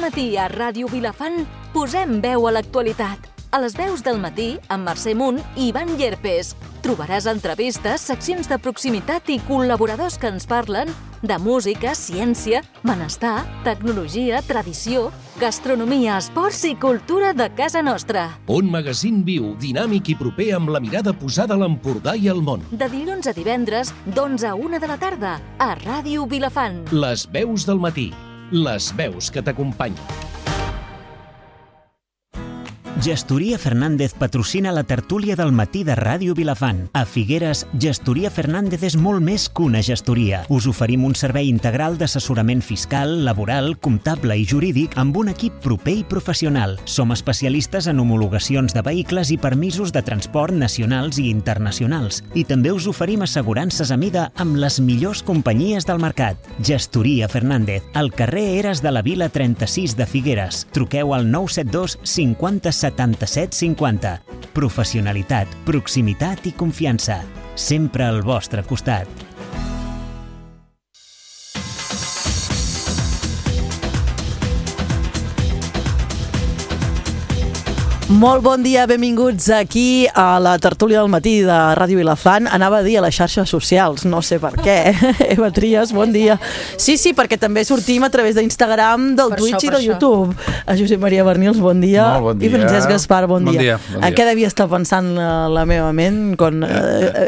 matí a Ràdio Vilafant posem veu a l'actualitat. A les 10 del matí, amb Mercè Munt i Ivan Llerpes. Trobaràs entrevistes, seccions de proximitat i col·laboradors que ens parlen de música, ciència, benestar, tecnologia, tradició, gastronomia, esports i cultura de casa nostra. Un magazín viu, dinàmic i proper amb la mirada posada a l'Empordà i al món. De dilluns a divendres, d'11 a 1 de la tarda, a Ràdio Vilafant. Les veus del matí. Les veus que t'acompanyen. Gestoria Fernández patrocina la tertúlia del matí de Ràdio Vilafant. A Figueres, Gestoria Fernández és molt més que una gestoria. Us oferim un servei integral d'assessorament fiscal, laboral, comptable i jurídic amb un equip proper i professional. Som especialistes en homologacions de vehicles i permisos de transport nacionals i internacionals. I també us oferim assegurances a mida amb les millors companyies del mercat. Gestoria Fernández, al carrer Eres de la Vila 36 de Figueres. Truqueu al 972 50 77 50. Professionalitat, proximitat i confiança. Sempre al vostre costat. Molt bon dia, benvinguts aquí a la tertúlia del matí de Ràdio Vilafant. Anava a dir a les xarxes socials, no sé per què. Eva Trias, bon dia. Sí, perquè també sortim a través d'Instagram, del Twitch i del YouTube. A Josep Maria Bernils, bon dia. Molt bon dia. I Francesc Gaspar, bon dia. Bon dia. Què devia estar pensant la meva ment?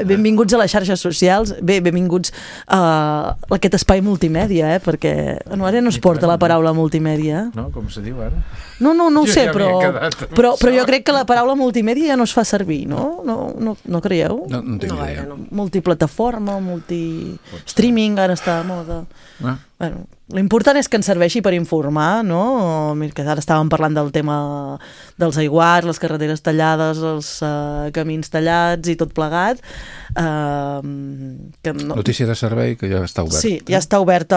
Benvinguts a les xarxes socials. Bé, benvinguts a aquest espai multimèdia, perquè ara no es porta la paraula multimèdia. No, com se diu ara? No ho sé, però jo crec que la paraula multimèdia ja no es fa servir, no? No creieu? No tinc idea. Multiplataforma, multi-streaming, ara està de moda. Bueno, l'important és que ens serveixi per informar, no? Que ara estàvem parlant del tema dels aiguats, les carreteres tallades, els camins tallats i tot plegat. Notícia de servei que ja està oberta. Sí, ja està oberta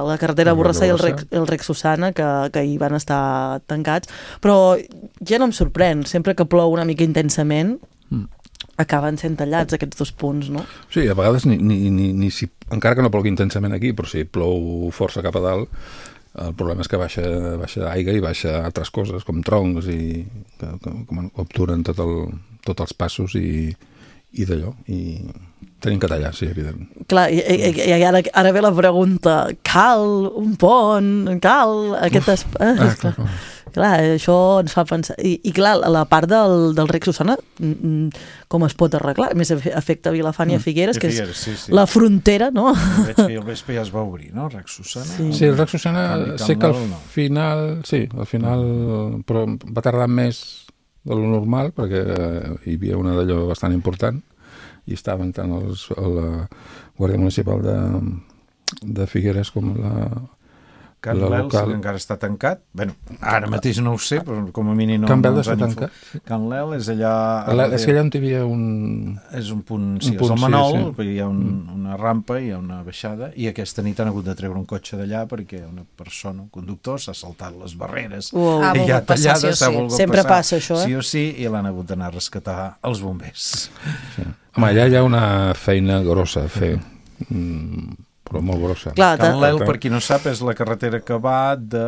la carretera Borrassà i el Rec Susana, que ahir van estar tancats, però ja no em sorprèn, sempre que plou una mica intensament acaben sent tallats aquests dos punts, no? Sí, a vegades ni si, encara que no plogui intensament aquí, però si plou força cap a dalt, el problema és que baixa aigua i baixa altres coses, com troncs i que obturen tots els passos i d'allò, i tenim que tallar, sí, evident. Clar, i ara ve la pregunta, cal un pont, cal aquest espai... Clar, això ens fa pensar... I clar, la part del Rec Susana, com es pot arreglar? A més, afecta Vilafant i a Figueres, que és la frontera, no? Veig que al vespre ja es va obrir, no? El Rec Susana. Sí, el Rec Susana sé que al final... Sí, al final... Però va tardar més de lo normal, perquè hi havia una d'allò bastant important, i estaven tant la Guàrdia Municipal de Figueres com la... Can Lel, que encara està tancat. Bé, ara mateix no ho sé, però com a mínim no... Can Lel està tancat? Can Lel és allà... És que allà on hi havia un... És un punt, sí, és el Manol, hi ha una rampa, hi ha una baixada, i aquesta nit han hagut de treure un cotxe d'allà perquè una persona, un conductor, s'ha saltat les barreres. I ja tallada, s'ha volgut passar. Sempre passa això, sí o sí, i l'han hagut d'anar a rescatar els bombers. Sí. Home, allà hi ha una feina grossa a fer, però molt grossa. Can Lel, per qui no sap, és la carretera que va de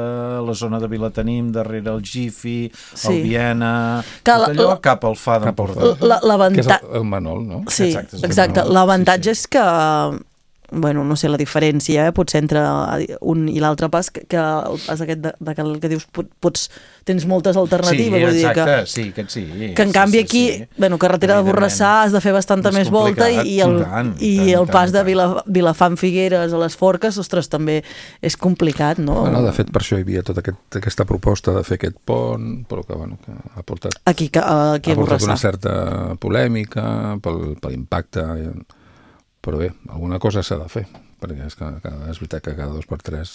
la zona de Vilatenim, darrere el Gifi, el Viena, tot allò cap al Fa d'Empordà. Que és el Manol, no? Sí, exacte. L'avantatge és que, bueno, no sé la diferència, potser entre un i l'altre pas, que el pas aquest que dius, tens moltes alternatives. Sí, exacte, sí, aquest sí. Que en canvi aquí, bueno, carretera de Borrassà has de fer bastanta més volta i el pas de Vilafant-Figueres a les Forques, ostres, també és complicat, no? Bueno, de fet, per això hi havia tota aquesta proposta de fer aquest pont, però que, bueno, que ha portat una certa polèmica per l'impacte. Però bé, alguna cosa s'ha de fer, perquè és veritat que cada 2 per 3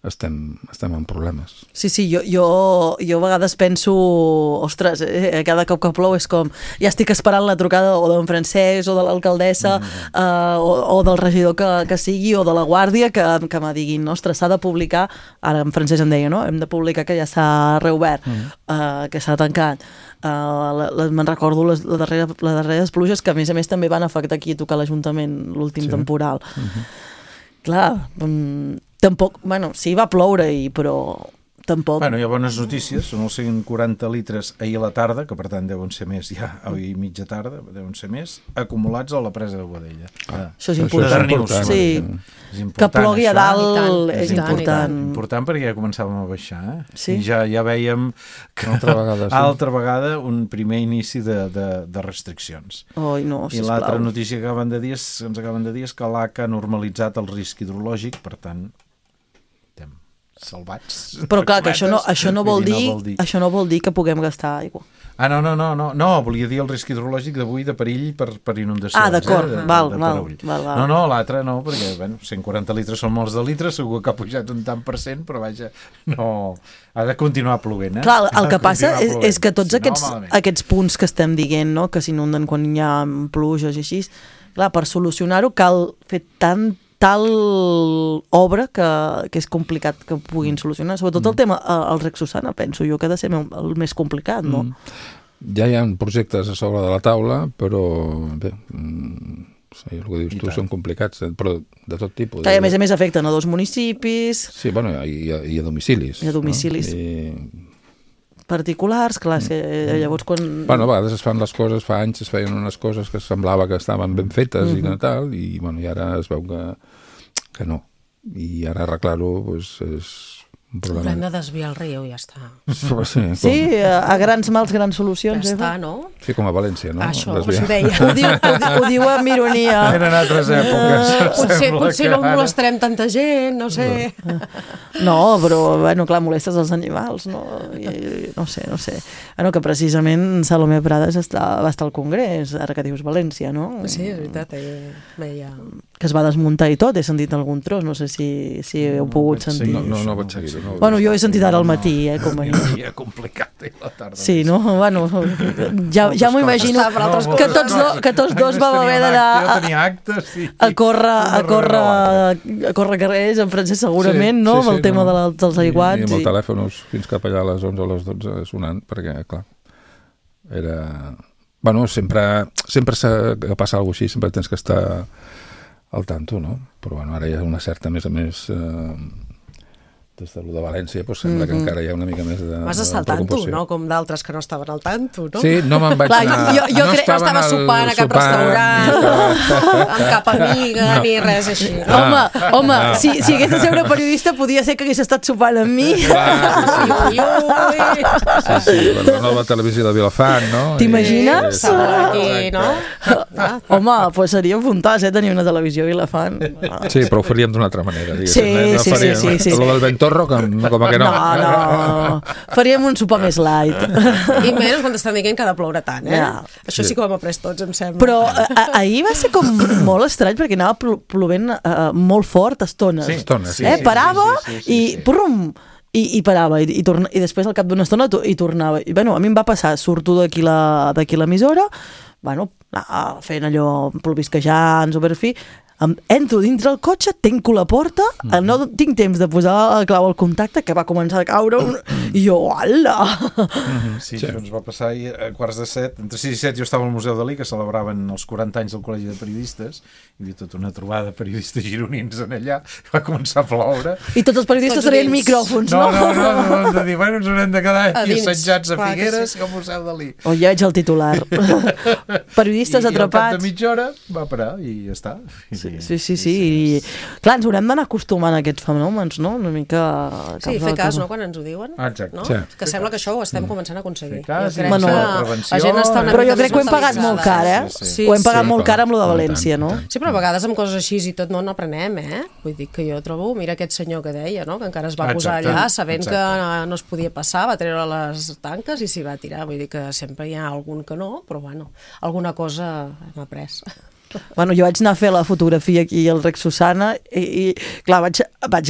estem en problemes. Sí, jo a vegades penso, ostres, cada cop que plou és com, ja estic esperant la trucada o d'en Francesc o de l'alcaldessa o del regidor que sigui o de la Guàrdia que me diguin, ostres, s'ha de publicar, ara en Francesc em deia, no? Hem de publicar que ja s'ha reobert, que s'ha tancat. Me'n recordo les darreres pluges que a més també van afectar aquí a tocar l'Ajuntament l'últim temporal. Clar, tampoc, bueno, sí, va ploure, però tampoc... Bueno, hi ha bones notícies, són els 140 litres ahir a la tarda, que per tant deuen ser més ja, ahir mitja tarda, deuen ser més, acumulats a la presa de Boadella. Això és important. Sí, que plogui a dalt és important. Important perquè ja començàvem a baixar, Sí. I ja vèiem que altra vegada un primer inici de restriccions. Oi, no, I l'altra notícia que ens acaben de dir és que l'ACA ha normalitzat el risc hidrològic, per tant, salvats. Però clar, que això no vol dir que puguem gastar aigua. No, volia dir el risc hidrològic d'avui de perill per inundació. D'acord, val. No, l'altre no, perquè 140 litres són molts de litres, segur que ha pujat un tant per cent, però vaja, no, ha de continuar plovent. Clar, el que passa és que tots aquests punts que estem dient, no? Que s'inunden quan hi ha pluges i així, clar, per solucionar-ho cal fer tal obra que és complicat que puguin solucionar. Sobretot el tema, el Rec Susana, penso jo que ha de ser el més complicat, no? Ja hi ha projectes a sobre de la taula, però bé, el que dius tu són complicats, però de tot tipus. A més a més afecten a 2 municipis. Sí, bueno, i a domicilis. I a domicilis. Particulars, clar, llavors quan... Bueno, a vegades es fan les coses, fa anys es feien unes coses que semblava que estaven ben fetes i tal, i ara es veu que no. I ara arreglar-ho és un problema. Haurem de desviar el riu, ja està. Sí, a grans mals, grans solucions. Ja està, no? Sí, com a València, no? Això, ho deia. Ho diu amb ironia. Eren altres èpoques. Potser no molestarem tanta gent, no sé. No, però, bueno, clar, molestes els animals, no? No sé. Bueno, que precisament Salomé Prades va estar al Congrés, ara que dius València, no? Sí, és veritat, veia... Que es va desmuntar i tot, he sentit algun tros, no sé si heu pogut sentir. No vaig seguir-ho. Bueno, jo he sentit ara al matí, com a dia complicat, la tarda. Sí, no? Bueno, ja m'ho imagino que tots dos vam haver d'anar a córrer carrers, en francès segurament, no? Amb el tema dels aiguats. I amb el telèfon fins cap allà a les 11 o les 12 sonant, perquè, clar, era... Bueno, sempre que passa alguna cosa així, sempre tens que estar al tanto, no? Però bueno, ara hi ha una certa, a més a més, des de lo de València, doncs sembla que encara hi ha una mica més de vas estar al tanto, no? Com d'altres que no estaven al tanto, no? Sí, no me'n vaig anar... Jo crec que no estava sopant a cap restaurant, amb cap amiga, ni res així. Home, si hagués de ser una periodista, podia ser que hagués estat sopant amb mi. Sí, la nova televisió de Vilafant, no? T'imagines? Aquí, no? Home, doncs seria un fontàs, tenir una televisió a Vilafant. Sí, però ho faríem d'una altra manera, diguéssim. Sí. Lo del Ventorro, com que no. No. Faríem un sopar més light. I menys quan t'estan dient que ha de ploure tant, Això sí que ho hem après tots, em sembla. Però ahir va ser com molt estrany, perquè anava plovent molt fort a estones. Sí, estones, sí. Parava i prum! I parava, i després al cap d'una estona i tornava. I, bueno, a mi em va passar, surto d'aquí l'emissora, bueno, fent allò plovisquejants o per fi, entro dintre el cotxe, tanco la porta, no tinc temps de posar la clau al contacte, que va començar a caure i jo, hola! Sí, això ens va passar ahir a 6:45, entre 6 i 7 jo estava al Museu Dalí, que celebraven els 40 anys del Col·legi de Periodistes, hi havia tota una trobada de periodistes gironins en allà, va començar a ploure. I tots els periodistes tenien micròfons, no? No, hem de dir, bueno, ens haurem de quedar aquí assetjats a Figueres i al Museu Dalí. O ja veig el titular. Periodistes atrapats. I al cap de mitja hora va parar i ja està. Sí. I, clar, ens haurem d'anar acostumant a aquests fenòmens, no? Una mica... Sí, fer cas, no?, quan ens ho diuen. Exacte. No? Sí. Que sembla que això ho estem començant a aconseguir. Fer cas, però jo crec que ho hem pagat molt car, Sí. Ho hem pagat molt car amb lo de València, no? Sí, però a vegades amb coses així i tot no n'aprenem, Vull dir que jo trobo, mira aquest senyor que deia, no?, que encara es va posar allà sabent que no es podia passar, va treure les tanques i s'hi va tirar. Vull dir que sempre hi ha algun que no, però bueno, alguna cosa hem après. Bueno, jo vaig anar a fer la fotografia aquí al Rec Susana i clar, vaig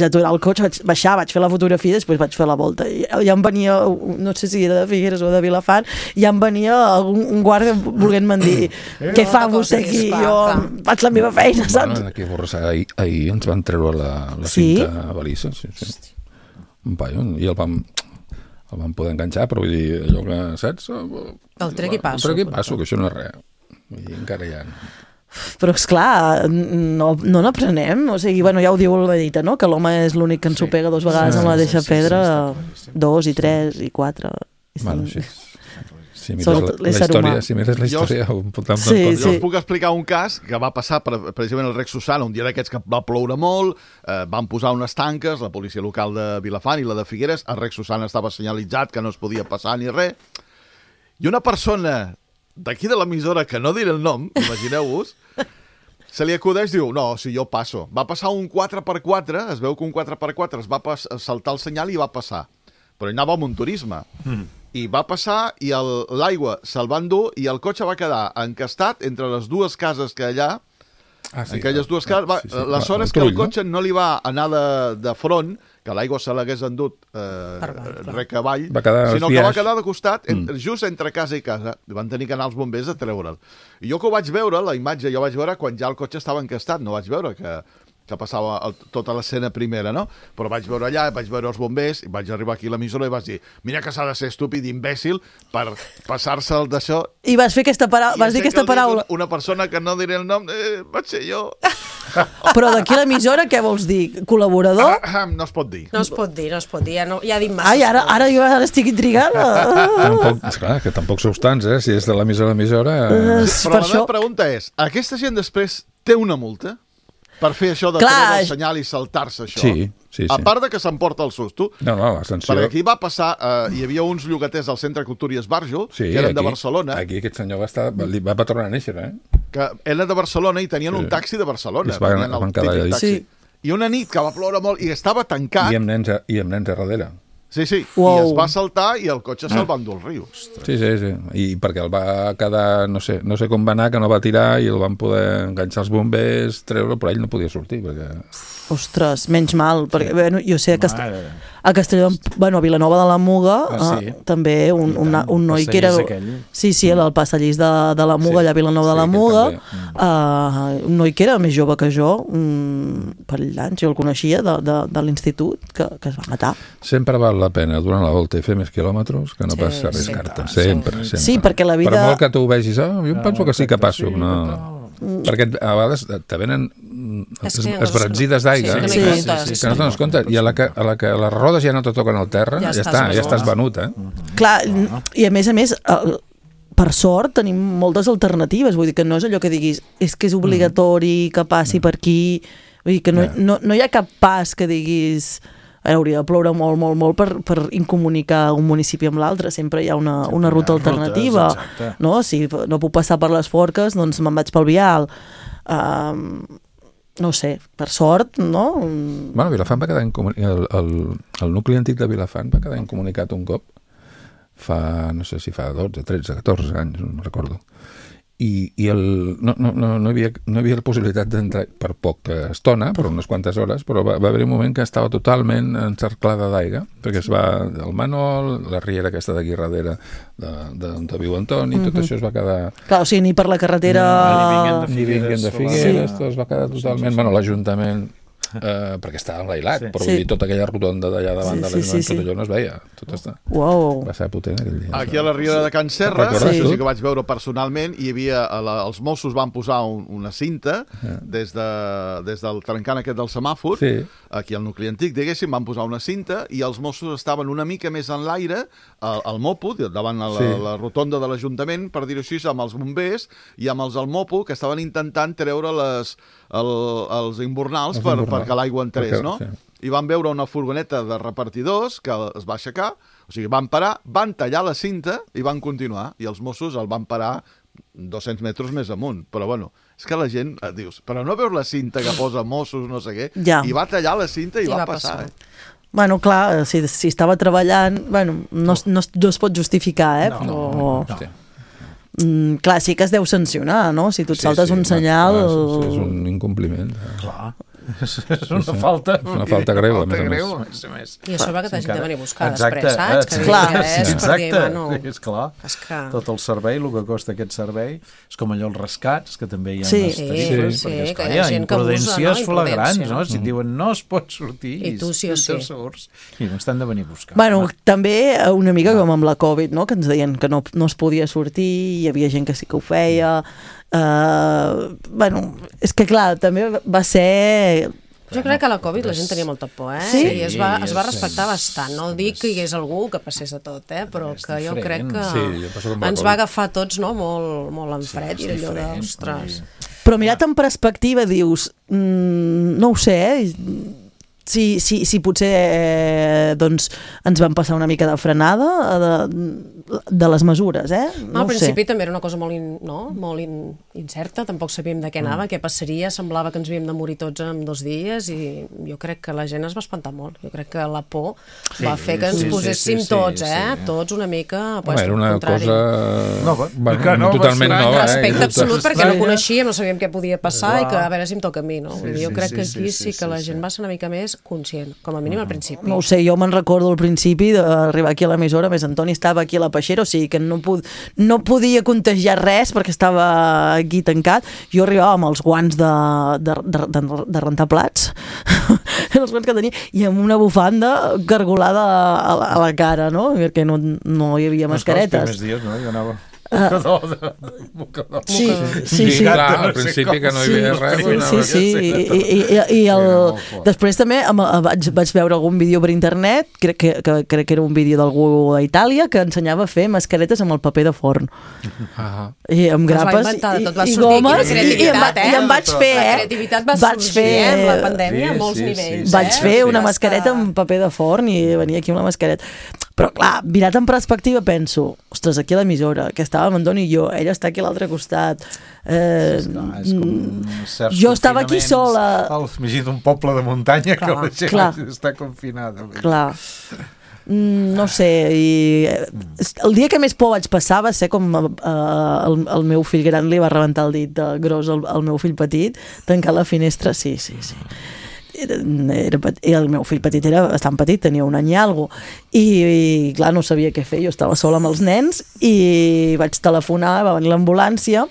aturar el cotxe, vaig baixar, vaig fer la fotografia i després vaig fer la volta. I ja em venia, no sé si era de Figueres o de Vilafant, ja em venia un guàrdia volent-me dir què fa vostè aquí? Jo faig la meva feina, saps? Bueno, aquí a Borrassà ahir ens van treure la cinta balissa, sí. Un paio, i el vam poder enganxar, però vull dir, allò que, saps? El trec i passo. El trec i passo, que això no és res. I encara hi ha... Però, esclar, no n'aprenem. O sigui, bueno, ja ho diu la dita, no? Que l'home és l'únic que ens ho pega 2 vegades amb la mateixa pedra, 2 i 3 i 4 i 5. Bueno, sí. Si mires la història... Jo us puc explicar un cas que va passar precisament al Rec Susana, un dia d'aquests que va ploure molt, van posar unes tanques, la policia local de Vilafant i la de Figueres, el Rec Susana estava senyalitzat que no es podia passar ni res, i una persona d'aquí de l'emissora, que no diré el nom, imagineu-vos, se li acudeix, diu, no, si jo passo. Va passar un 4x4, es veu que un 4x4 es va saltar el senyal i va passar. Però ell anava amb un turisme. I va passar i l'aigua se'l va endur i el cotxe va quedar encastat entre les 2 cases que allà, aquelles 2 cases. La sort és que el cotxe no li va anar de front, que l'aigua se l'hagués endut rec avall, sinó que va quedar de costat, just entre casa i casa. Van tenir que anar els bombers a treure'l. I jo que ho vaig veure, la imatge, jo vaig veure quan ja el cotxe estava encastat, no vaig veure que passava tota l'escena primera, no? Però vaig veure allà, vaig veure els bombers, i vaig arribar aquí a l'emissora i vaig dir, mira que s'ha de ser estúpid i imbècil per passar-se'l d'això. I vas fer aquesta paraula, vas dir aquesta paraula. Una persona que no diré el nom, vaig ser jo. Però d'aquí a l'emissora què vols dir? Col·laborador? No es pot dir. No es pot dir, ja ha dit massa. Ai, ara jo estic intrigada. Esclar, que tampoc sou tants, si és de l'emissora a emissora... Però la meva pregunta és, aquesta gent després té una multa? Per fer això de treure el senyal i saltar-se això. Sí. A part de que s'emporta el susto, la sanció... perquè aquí va passar, hi havia uns llogaters del Centre Cultura i Esbarjo, que eren de Barcelona. Aquí aquest senyor va tornar a néixer, que eren de Barcelona i tenien un taxi de Barcelona. Van quedar allà. I una nit que va ploure molt i estava tancat... I amb nens a darrere. Sí, i es va saltar i el cotxe se'l va endur al riu. Sí. I perquè el va quedar, no sé com va anar, que no va tirar i el van poder enganxar els bombers, treure, però ell no podia sortir, perquè... Ostres, menys mal, perquè jo sé que a Castelló, a Vilanova de la Muga, també un noi que era... Sí, el passadís de la Muga, allà a Vilanova de la Muga, un noi que era més jove que jo, per l'any, jo el coneixia, de l'institut, que es va matar. Sempre val la pena durant la volta i fer més quilòmetres que no pas arriscar-te. Sempre. Sí, perquè la vida... Per molt que tu ho vegis, jo penso que sí que passo, perquè a vegades te venen esbranzides d'aigua que no te'n compte, i a la que les rodes ja no te toquen al terra, ja estàs venut. Clar, i a més, per sort tenim moltes alternatives, vull dir que no és allò que diguis és que és obligatori que passi per aquí, vull dir que no hi ha cap pas que diguis hauria de ploure molt per incomunicar un municipi amb l'altre, sempre hi ha una ruta alternativa, no? Si no puc passar per les Forques, doncs me'n vaig pel vial. No sé, per sort, no? Vilafant va quedar el nucli antic de Vilafant va quedar incomunicat un cop no sé si fa 12, 13, 14 anys, no recordo. I no hi havia la possibilitat d'entrar per poca estona, per unes quantes hores, però va haver un moment que estava totalment encerclada d'aigua, perquè el Manol, la riera aquesta d'aquí darrere d'on viu Antoni, tot això es va quedar... Clar, o sigui, ni per la carretera... Ni vinguent de Figueres, tot es va quedar totalment... l'Ajuntament... perquè estava enlailat, però vull dir, tota aquella rotonda d'allà davant de l'Ajuntament, tot allò no es veia, tot està. Va ser potent aquell dia. Aquí a la riera de Can Serra, sí que vaig veure personalment, hi havia, els Mossos van posar una cinta des del trencant aquest del semàfor, aquí al nucli antic, diguéssim, van posar una cinta i els Mossos estaven una mica més en l'aire, al Mopo, davant la rotonda de l'Ajuntament, per dir-ho així, amb els bombers i amb els del Mopo, que estaven intentant treure els imbornals perquè l'aigua entrés, no? I van veure una furgoneta de repartidors que es va aixecar, o sigui, van parar, van tallar la cinta i van continuar, i els Mossos el van parar 200 metres més amunt, però bueno, és que la gent, dius, però no veus la cinta que posa Mossos, no sé què, i va tallar la cinta i va passar. Bueno, clar, si estava treballant, bueno, no es pot justificar, però... Clar, sí que es deu sancionar, no? Si tu et saltes un senyal... És un incompliment. Clar. És una falta greu, a més a més. I això va que t'hagin de venir a buscar després, saps? És clar. Tot el servei, el que costa aquest servei, és com allò els rescats, que també hi ha unes tarifes, perquè hi ha imprudències flagrants, no? Si diuen no es pot sortir, i tu sí o sí. I no estan de venir a buscar. Bueno, també una mica com amb la Covid, no? Que ens deien que no es podia sortir, hi havia gent que sí que ho feia... és que clar, també va ser... Jo crec que a la Covid la gent tenia molta por, Sí? I es va respectar bastant. No dic que hi hagués algú que passés de tot, però que jo crec que ens va agafar tots molt en fred i allò d'ostres. Però mirat en perspectiva dius, no ho sé, si potser doncs ens van passar una mica de frenada de les mesures, Al principi també era una cosa molt incerta, tampoc sabíem de què anava, què passaria, semblava que ens havíem de morir tots en 2 dies i jo crec que la gent es va espantar molt. Jo crec que la por va fer que ens poséssim tots, tots una mica era una cosa totalment nova. Respecte absolut, perquè no coneixíem, no sabíem què podia passar i que a veure si em toca a mi, no? Jo crec que aquí sí que la gent va ser una mica més conscient, com a mínim al principi. No ho sé, jo me'n recordo al principi d'arribar aquí a l'emissora, més Antoni estava aquí a la peixera, o sigui que no podia contagiar res perquè estava aquí tancat. Jo arribava amb els guants de rentar plats, els guants que tenia, i amb una bufanda gargolada a la cara, no? Perquè no hi havia mascaretes. Els primers dies, no? Jo anava... Sí, clar, al principi que no hi havia res. I després també vaig veure algun vídeo per internet, crec que era un vídeo d'algú a Itàlia que ensenyava a fer mascaretes amb el paper de forn i amb grapes i gomes, i em vaig fer la creativitat va sorgir amb la pandèmia a molts nivells. Vaig fer una mascareta amb paper de forn i venia aquí amb la mascareta. Però clar, mirat en perspectiva penso, ostres, aquí a l'emissora que estàvem Antoni i jo, ella està aquí a l'altre costat, jo estava aquí sola. Imagina't un poble de muntanya que la gent està confinada. Clar, no sé, el dia que més por vaig passar va ser com el meu fill gran li va rebentar el dit gros al meu fill petit, tancar la finestra, sí. El meu fill petit era bastant petit, tenia 1 any i alguna cosa, i clar, no sabia què fer, jo estava sola amb els nens i vaig telefonar, va venir l'ambulància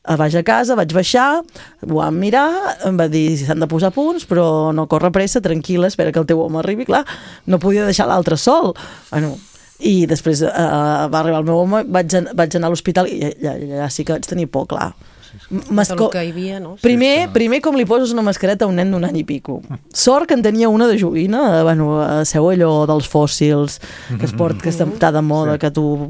a baix a casa, vaig baixar, ho vam mirar, em va dir si s'han de posar punts, però no corre pressa, tranquil·la, espera que el teu home arribi, clar, no podia deixar l'altre sol. I després va arribar el meu home, vaig anar a l'hospital i allà sí que vaig tenir por, clar. Que hi havia, no? Primer com li poses una mascareta a un nen d'1 any i pico. Sort que en tenia una de joguina, seu allò dels fòssils que està de moda, que tu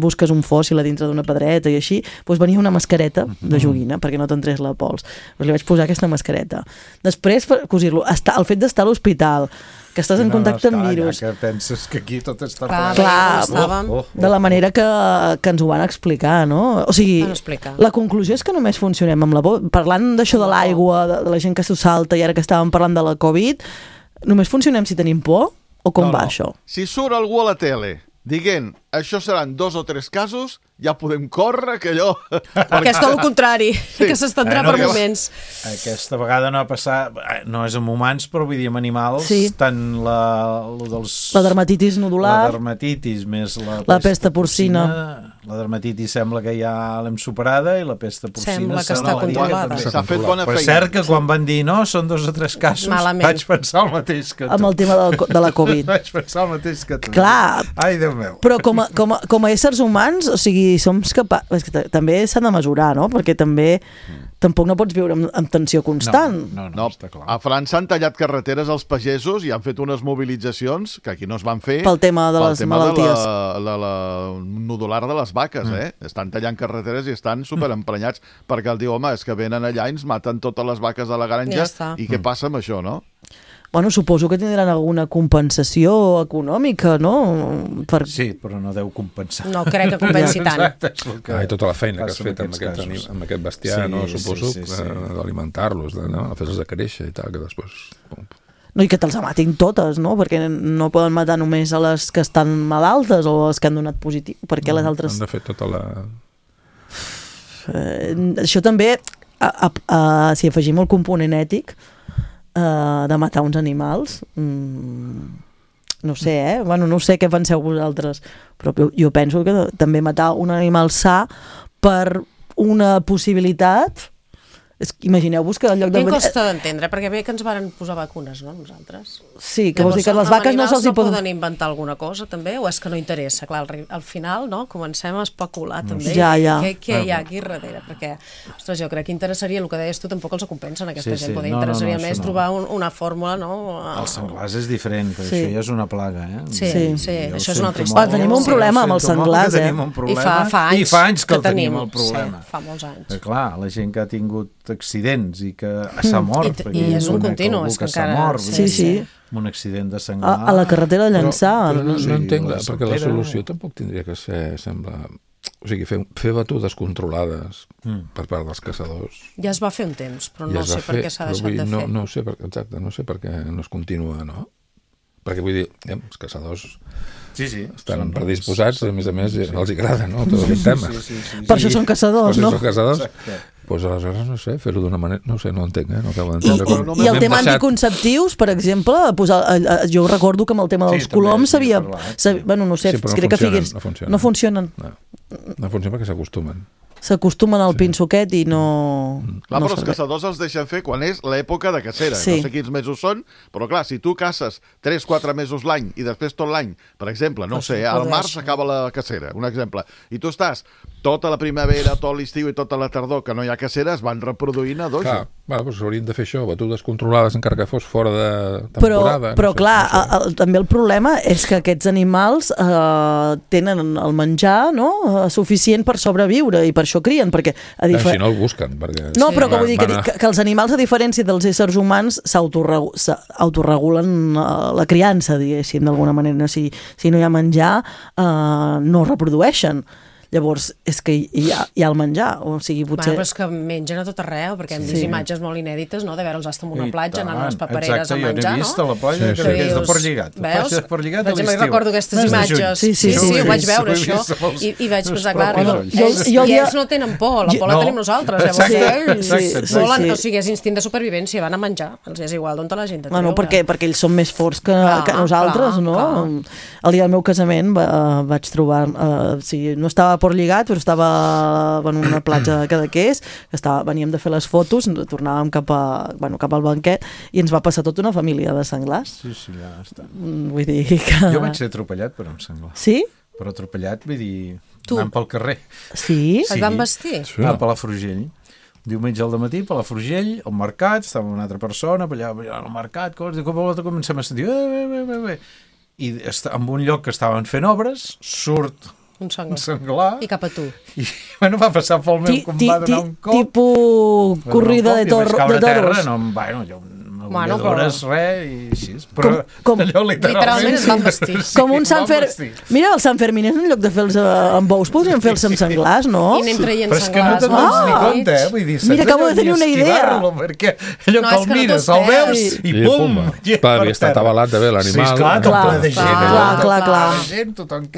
busques un fòssil a dintre d'una pedreta i així, doncs venia una mascareta de joguina perquè no t'entrés la pols. Li vaig posar aquesta mascareta. Després, per cosir-lo, el fet d'estar a l'hospital, que estàs en contacte amb virus. Ja que penses que aquí tot està de la manera que ens ho van explicar, no? O sigui, la conclusió és que només funcionem amb la por. Parlant d'això de l'aigua, de la gent que s'ho salta, i ara que estàvem parlant de la Covid, només funcionem si tenim por? O com va això? Si surt algú a la tele dient això seran 2 o 3 casos, ja podem córrer que allò... Que és tot el contrari, que s'estendrà per moments. Aquesta vegada no ha passat, no és amb humans, però vull dir amb animals, tant la dermatitis nodular, la dermatitis més la pesta porcina. La dermatitis sembla que ja l'hem superada i la pesta porcina sembla que està controlada. S'ha fet bona feina. Però és cert que quan van dir no, són 2 o 3 casos, vaig pensar el mateix que tu. Amb el tema de la Covid. Vaig pensar el mateix que tu. Clar. Ai, Déu meu. Però com a éssers humans, o sigui, som capaços... També s'han de mesurar, no? Perquè tampoc no pots viure amb tensió constant. No, està clar. A França han tallat carreteres als pagesos i han fet unes mobilitzacions que aquí no es van fer pel tema de les malalties. La nodular de les vaques, Estan tallant carreteres i estan superemprenyats perquè el diu, home, és que venen allà i ens maten totes les vaques de la granja i què passa amb això, no? Bueno, suposo que tindran alguna compensació econòmica, no? Sí, però no deu compensar. No crec que compensi tant. I tota la feina que has fet amb aquest bestiar, no? Suposo d'alimentar-los, de fer-los de créixer i tal, que després... No, i que te'ls matin totes, no? Perquè no poden matar només a les que estan malaltes o les que han donat positiu, perquè les altres... Han de fer tota la... Això també, si afegim el component ètic, de matar uns animals, no sé, bueno, no sé què penseu vosaltres, però jo penso que també matar un animal sa per una possibilitat Imagineu-vos que en lloc de... A mi em costa d'entendre, perquè bé que ens varen posar vacunes, no, nosaltres? Sí, que vols dir que les vaques no se'ls hi poden... poden inventar alguna cosa, també, o és que no interessa? Clar, al final, no?, comencem a especular, també. Ja. Què hi ha aquí darrere? Perquè, ostres, jo crec que interessaria, el que deies tu, tampoc els compensa a aquesta gent, poder interessaria més trobar una fòrmula, no? El senglars és diferent, però això ja és una plaga, Sí, això és una altra història. Tenim un problema amb els senglars, I fa anys que el tenim, el problema. Fa molts anys. Clar, la gent que ha tingut accidents i que s'ha mort. I és un continu, és que encara... Sí. Un accident de senglar. A la carretera de Llançà. Però no entenc, perquè la solució tampoc tindria que ser, sembla... O sigui, fer batudes controlades per part dels caçadors. Ja es va fer un temps, però no sé per què s'ha deixat de fer. No sé per què no es continua, no? Perquè vull dir, els caçadors estan predisposats, a més els agrada, no? Tot el tema. Per això són caçadors, no? Per això són caçadors. Doncs aleshores, no sé, fer-ho d'una manera... No sé, no entenc, no acabo d'entendre. I el tema anticonceptius, per exemple, jo recordo que amb el tema dels coloms s'havia... Bueno, no sé, crec que Figueres... No funcionen. No funcionen perquè s'acostumen. S'acostumen al pinso aquest i no... Clar, però els caçadors els deixen fer quan és l'època de cacera. No sé quins mesos són, però clar, si tu caces 3-4 mesos l'any i després tot l'any, per exemple, no sé, al març s'acaba la cacera, un exemple, i tu estàs tota la primavera, tot l'estiu i tota la tardor que no hi ha cacera, es van reproduint a dojo. Clar, doncs haurien de fer això, batudes controlades encara que fos fora de temporada. Però clar, també el problema és que aquests animals tenen el menjar suficient per sobreviure i per això crien, perquè... Si no el busquen, perquè... No, però que vull dir que els animals, a diferència dels éssers humans, s'autoregulen la criança, diguéssim, d'alguna manera. Si no hi ha menjar, no reprodueixen. Llavors, és que hi ha el menjar, o sigui, potser... Però és que mengen a tot arreu, perquè hem vist imatges molt inèdites, no?, de veure'ls estar en una platja, anant a les papereres a menjar, no? Exacte, jo n'he vist a la platja, que és de Portlligat. Veus? De Portlligat a l'estiu. Jo recordo aquestes imatges. Sí, ho vaig veure, això. I vaig pensar, clar, ells no tenen por, la por la tenim nosaltres. Llavors, volen, o sigui, és instint de supervivència, van a menjar, els és igual d'on la gent et treu. Perquè ells són més forts que nosaltres, no? El dia del meu casament vaig trobar... No estava Portlligat, però estava en una platja de Cadaqués, veníem de fer les fotos, tornàvem cap al banquet i ens va passar tota una família de senglars. Sí, ja està. Vull dir que... Jo vaig ser atropellat per un senglar. Sí? Però atropellat, vull dir, anant pel carrer. Sí? Et van vestir? A Palafrugell. Diumenge al matí, Palafrugell, al mercat, estava una altra persona, allà al mercat, i cop a volta comencem a sentir... I en un lloc que estaven fent obres, surt un senglar. I cap a tu. I va passar pel meu, com va donar un cop. Tipus corrida de toros. Bueno, res, i així. Però allò literalment es van vestir. Com un Sant Fermín. Mira, el Sant Fermín, en lloc de fer-los amb bous, podríem fer-los amb senglars, no? I anem traient senglars. Però és que no te'n dones ni compte, vull dir, mira, acabo de tenir una idea. Perquè allò que el mires, el veus, i pum! Clar, havia estat avalat de bé l'animal. Sí, esclar, tot ple de gent. Clar.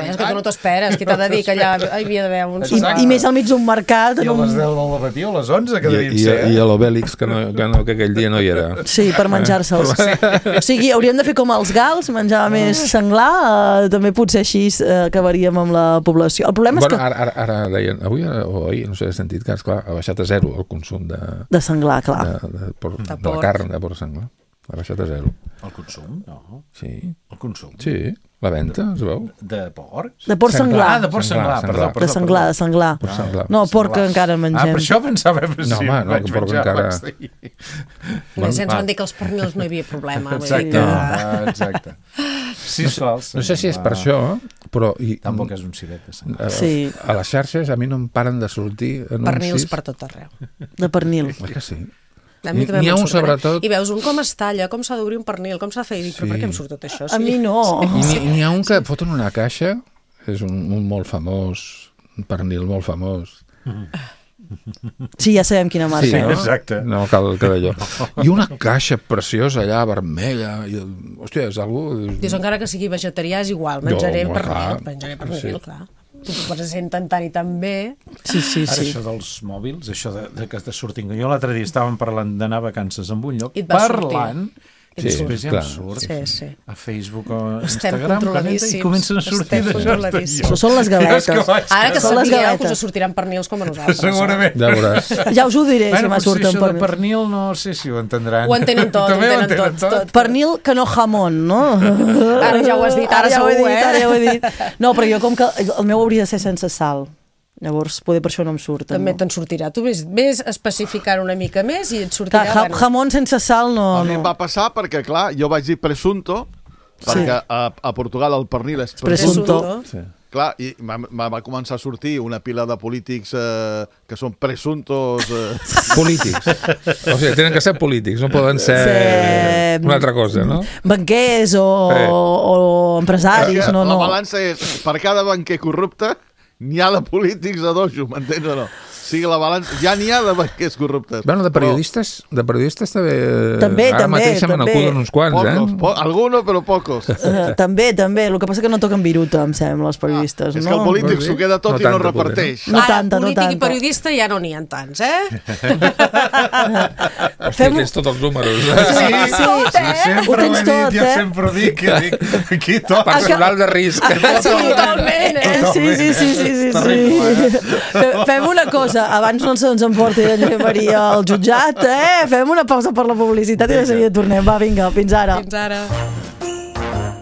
És que tu no t'esperes, que t'ha de dir que allà hi havia d'haver un senglar. I més al mig d'un mercat. I a les 10 del matí o a les 11 que devien ser. I a l'Obèlix, que aquell dia no hi era. Sí, per menjar-se'ls. O sigui, hauríem de fer com els gals, menjar més senglar, també potser així acabaríem amb la població. El problema és que... Ara deien, avui o ahir, no sé, he sentit que, esclar, ha baixat a zero el consum de senglar, clar. De la carn de porc senglar. Ha baixat a zero. El consum? No. Sí. El consum? Sí. La venda, es veu? De porc? De porc senglar. De porc senglar, perdó. De senglar. No, porc encara mengem. Per això pensava... No, home, no, que porc encara... Ens van dir que els pernils no hi havia problema. Exacte. No sé si és per això, però... Tampoc és un civet de senglar. A les xarxes a mi no em paren de sortir anuncis... Pernils per tot arreu. De pernil. Que sí. N'hi ha un sobretot... I veus un com es talla, com s'ha d'obrir un pernil, com s'ha de fer, i dic, però per què em surt tot això? A mi no. N'hi ha un que foten una caixa, és un molt famós, un pernil molt famós. Sí, ja sabem quina marca. Sí, no? Exacte. No cal que d'allò. I una caixa preciosa allà, vermella, i, hòstia, és algú... Dius, encara que sigui vegetarià és igual, menjaré pernil, clar. Tu presenten tant i tan bé. Sí. Ara, això dels mòbils, això de que te surtin... Jo l'altre dia estàvem parlant d'anar a vacances en un lloc, parlant, Després ja em surt a Facebook o a Instagram i comencen a sortir d'això. Són les galetes. Ara que sapigueu que us sortiran pernils com a nosaltres. Segurament. Ja veuràs. Ja us ho diré si m'ha sortit pernil. Això de pernil no sé si ho entendran. Ho entenen tot. Pernil que no jamón, no? Ara ja ho has dit, ara ja ho he dit. No, però jo com que el meu hauria de ser sense sal. Llavors, poder per això no em surt. També te'n sortirà. Tu ves especificant una mica més i et sortirà... Jamón sense sal no... A mi em va passar perquè, clar, jo vaig dir presunto, perquè a Portugal el pernil és presunto. Clar, i va començar a sortir una pila de polítics que són presuntos... Polítics. O sigui, tenen que ser polítics, no poden ser una altra cosa, no? Banquers o empresaris, no. La balança és, per cada banquer corrupte, n'hi ha de polítics a dojo, m'entens o no? O sigui, la balança... Ja n'hi ha de banquers corruptes. Bueno, de periodistes també. Ara mateix se me n'acuden uns quants, Algunos, però pocos. També. El que passa que no toquen viruta, em sembla, els periodistes. És que el polític s'ho queda tot i no reparteix. Polític i periodista ja no n'hi ha tants, Hòstia, tens tots els números. Sempre ho he dit, jo sempre ho dic. Aquí tot. Personal de risc. Totalment, Sí. Fem una cosa, abans no se'ns emporti la Josep Maria al jutjat, fem una pausa per la publicitat i de seguida tornem. Va, vinga, fins ara.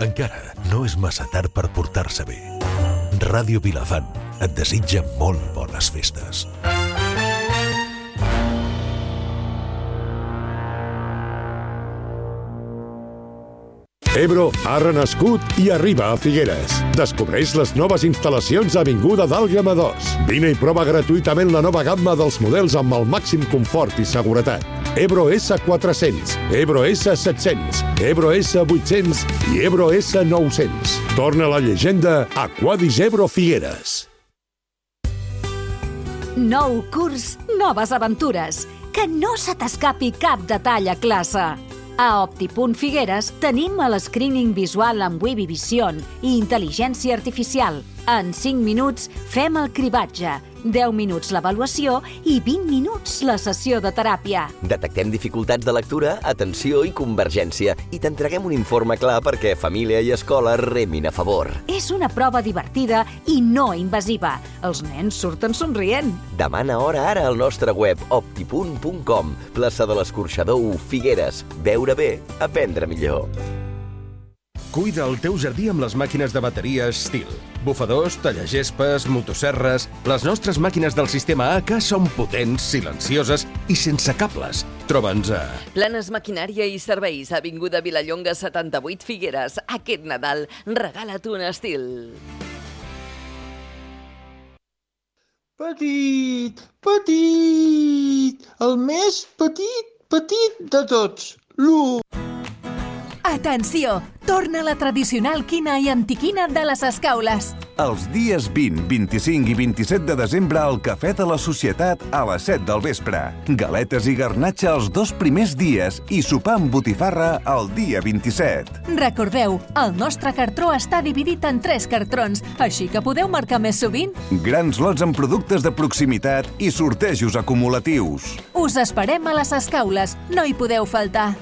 Encara no és massa tard per portar-se bé. Ràdio Vilafant et desitja molt bones festes. Ebro ha renascut i arriba a Figueres. Descobreix les noves instal·lacions a Avinguda d'Àlguema 2. Vine i prova gratuïtament la nova gamma dels models amb el màxim confort i seguretat. Ebro S400, Ebro S700, Ebro S800 i Ebro S900. Torna la llegenda a Quadis Ebro Figueres. Nou curs, noves aventures. Que no se t'escapi cap detall a classe. A Opti.Figueres tenim el screening visual amb Webby Vision i intel·ligència artificial. En 5 minuts fem el cribatge, 10 minuts l'avaluació i 20 minuts la sessió de teràpia. Detectem dificultats de lectura, atenció i convergència i t'entreguem un informe clar perquè família i escola remin a favor. És una prova divertida i no invasiva. Els nens surten somrient. Demana hora ara al nostre web opti.com, plaça de l'Escorxador 1, Figueres. Veure bé, aprendre millor. Cuida el teu jardí amb les màquines de bateria Stihl. Bufadors, tallagespes, motosserres... Les nostres màquines del sistema AK són potents, silencioses i sense cables. Troba'ns a... Planes Maquinària i Serveis, avinguda Vilallonga 78, Figueres. Aquest Nadal, regala't un Stihl. Petit, el més petit de tots, l'1. Atenció! Torna la tradicional quina i antiquina de les Escaules. Els dies 20, 25 i 27 de desembre al Cafè de la Societat a les 7 del vespre. Galetes i garnatxa els 2 primers dies i sopar amb botifarra el dia 27. Recordeu, el nostre cartró està dividit en 3 cartrons, així que podeu marcar més sovint. Grans lots amb productes de proximitat i sortejos acumulatius. Us esperem a les Escaules, no hi podeu faltar.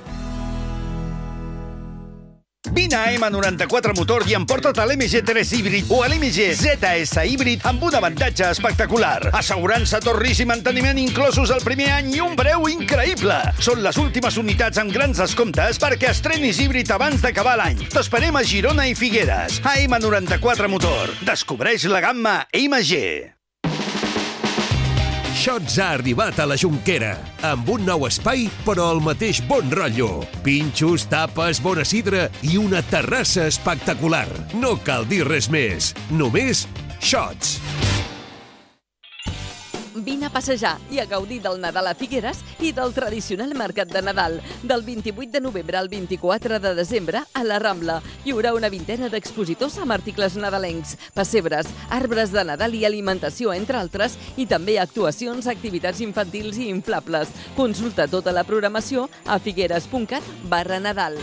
Vine a M94 Motor i emporta't a l'MG3 híbrid o a l'MG ZS híbrid amb un avantatge espectacular. Assegurança, torris i manteniment inclosos el primer any i un preu increïble. Són les últimes unitats amb grans descomptes perquè estrenis híbrid abans d'acabar l'any. T'esperem a Girona i Figueres. A M94 Motor. Descobreix la gamma MG. Shots ha arribat a la Jonquera, amb un nou espai, però el mateix bon rotllo. Pinxos, tapes, bona sidra i una terrassa espectacular. No cal dir res més, només Shots. Vine a passejar i a gaudir del Nadal a Figueres i del tradicional mercat de Nadal. Del 28 de novembre al 24 de desembre a la Rambla. Hi haurà una vintena d'expositors amb articles nadalencs, pessebres, arbres de Nadal i alimentació, entre altres, i també actuacions, activitats infantils i inflables. Consulta tota la programació a figueres.cat/Nadal.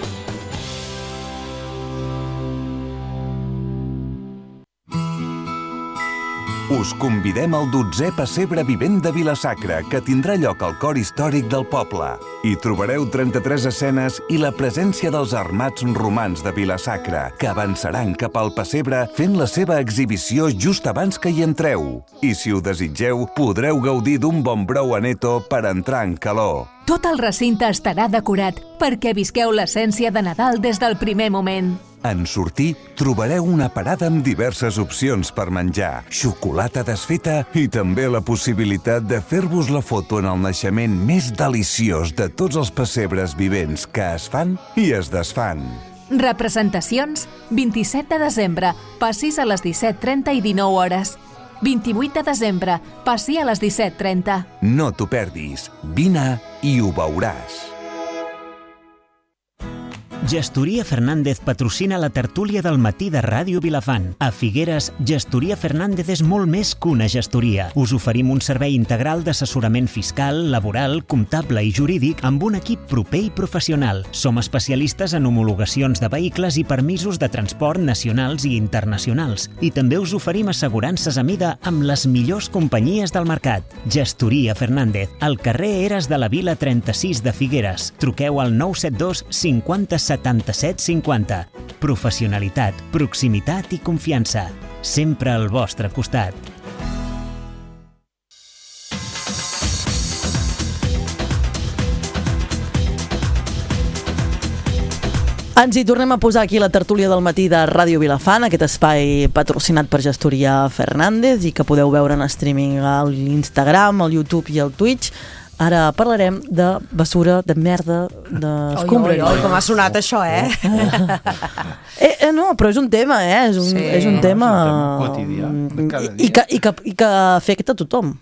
Us convidem al 12è pessebre vivent de Vila-sacra, que tindrà lloc al cor històric del poble. Hi trobareu 33 escenes i la presència dels armats romans de Vila-sacra, que avançaran cap al pessebre fent la seva exhibició just abans que hi entreu. I si ho desitgeu, podreu gaudir d'un bon brou aneto per entrar en calor. Tot el recinte estarà decorat perquè visqueu l'essència de Nadal des del primer moment. En sortir, trobareu una parada amb diverses opcions per menjar, xocolata desfeta i també la possibilitat de fer-vos la foto en el naixement més deliciós de tots els pessebres vivents que es fan i es desfan. Representacions, 27 de desembre, passis a les 17:30 i 19 hores. 28 de desembre, passi a les 17:30. No t'ho perdis. Vine i ho veuràs. Gestoria Fernández patrocina la tertúlia del matí de Ràdio Vilafant. A Figueres, Gestoria Fernández és molt més que una gestoria. Us oferim un servei integral d'assessorament fiscal, laboral, comptable i jurídic amb un equip proper i professional. Som especialistes en homologacions de vehicles i permisos de transport nacionals i internacionals. I també us oferim assegurances a mida amb les millors companyies del mercat. Gestoria Fernández, al carrer Eres de la Vila 36 de Figueres. Truqueu al 972 50 77 50. Professionalitat, proximitat i confiança. Sempre al vostre costat. Ens hi tornem a posar aquí la tertúlia del matí de Ràdio Vilafant, aquest espai patrocinat per Gestoria Fernández i que podeu veure en streaming a l'Instagram, al YouTube i al Twitch. Ara parlarem de bessura, de merda, d'escombraria. Oi, com ha sonat això, No, però és un tema, és un tema quotidià, cada dia. I que afecta a tothom.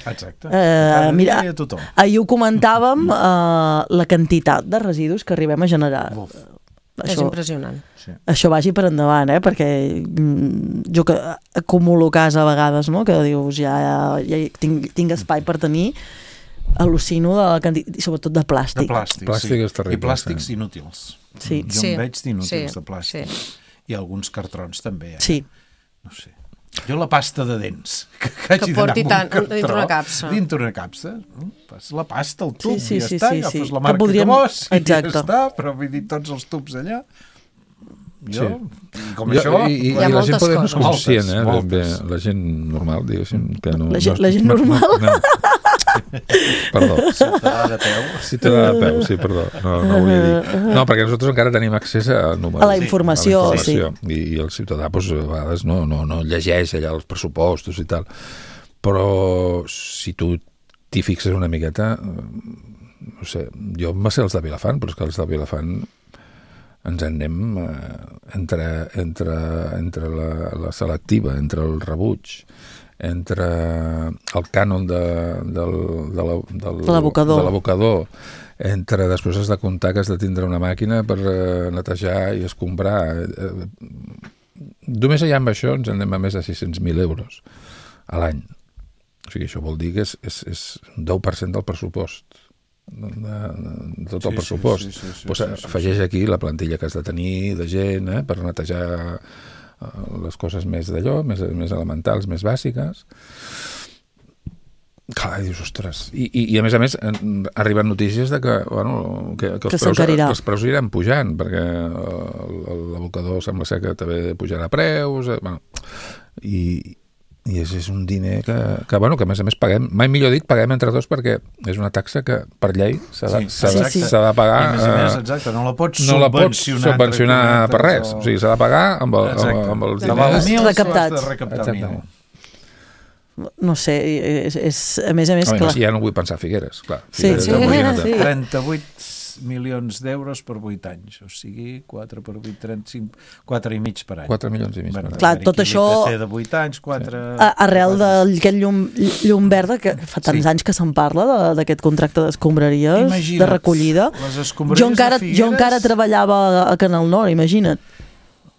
Exacte, cada dia i a tothom. Ahir ho comentàvem, la quantitat de residus que arribem a generar. És impressionant. Això vagi per endavant, perquè jo que acumulo casa a vegades, no? Que dius, ja tinc espai per tenir, al·lucino de la quantitat, sobretot de plàstic. Plàstic és terrible. I plàstics inútils. Sí. Jo en veig d'inútils de plàstic. I alguns cartrons també. Sí. No sé. Jo la pasta de dents, que porti tant dintre una capsa. Dintre una capsa. Fas la pasta, el tub, i ja està, agafes la marca que vols, i ja està, però vull dir, tots els tubs allà. Jo, com això... I la gent poder no és conscient, la gent normal, diguéssim, que no... La gent normal? Perdó. Ciutadà de peu. Ciutadà de peu, sí, perdó. No volia dir. No, perquè nosaltres encara tenim accés a números. A la informació, sí. I el ciutadà, doncs, a vegades no llegeix allà els pressupostos i tal. Però si tu t'hi fixes una miqueta, no sé, jo em va ser els de Vilafant, però és que els de Vilafant ens en anem entre la selectiva, entre el rebuig, entre el cànon de l'abocador, entre després has de comptar que has de tindre una màquina per netejar i escombrar. Només allà amb això ens anem a més de 600.000 euros a l'any. O sigui, això vol dir que és 10% del pressupost. De tot el pressupost. Afegeix aquí la plantilla que has de tenir de gent per netejar les coses més d'allò, més elementals, més bàsiques. Clar, dius, ostres. I a més, arriben notícies de que els preus iran pujant, perquè l'abocador sembla ser que també pujarà preus, i és un diner que a més paguem, mai millor dit, paguem entre tots, perquè és una taxa que per llei s'ha de pagar. I a més, exacte, no la pots subvencionar per res. O sigui, s'ha de pagar amb els diners recaptats. No sé, a més clar. Ja no vull pensar Figueres, clar. 38 milions d'euros per 8 anys, o sigui 4 per 8, 35, 4,5 per any. 4 milions i mig per any. Clar, tot això de 8 anys, 4... Arrel d'aquest llum verda, que fa tants anys que se'n parla d'aquest contracte d'escombraries, de recollida. Jo encara treballava a Canal Nord, imagina't.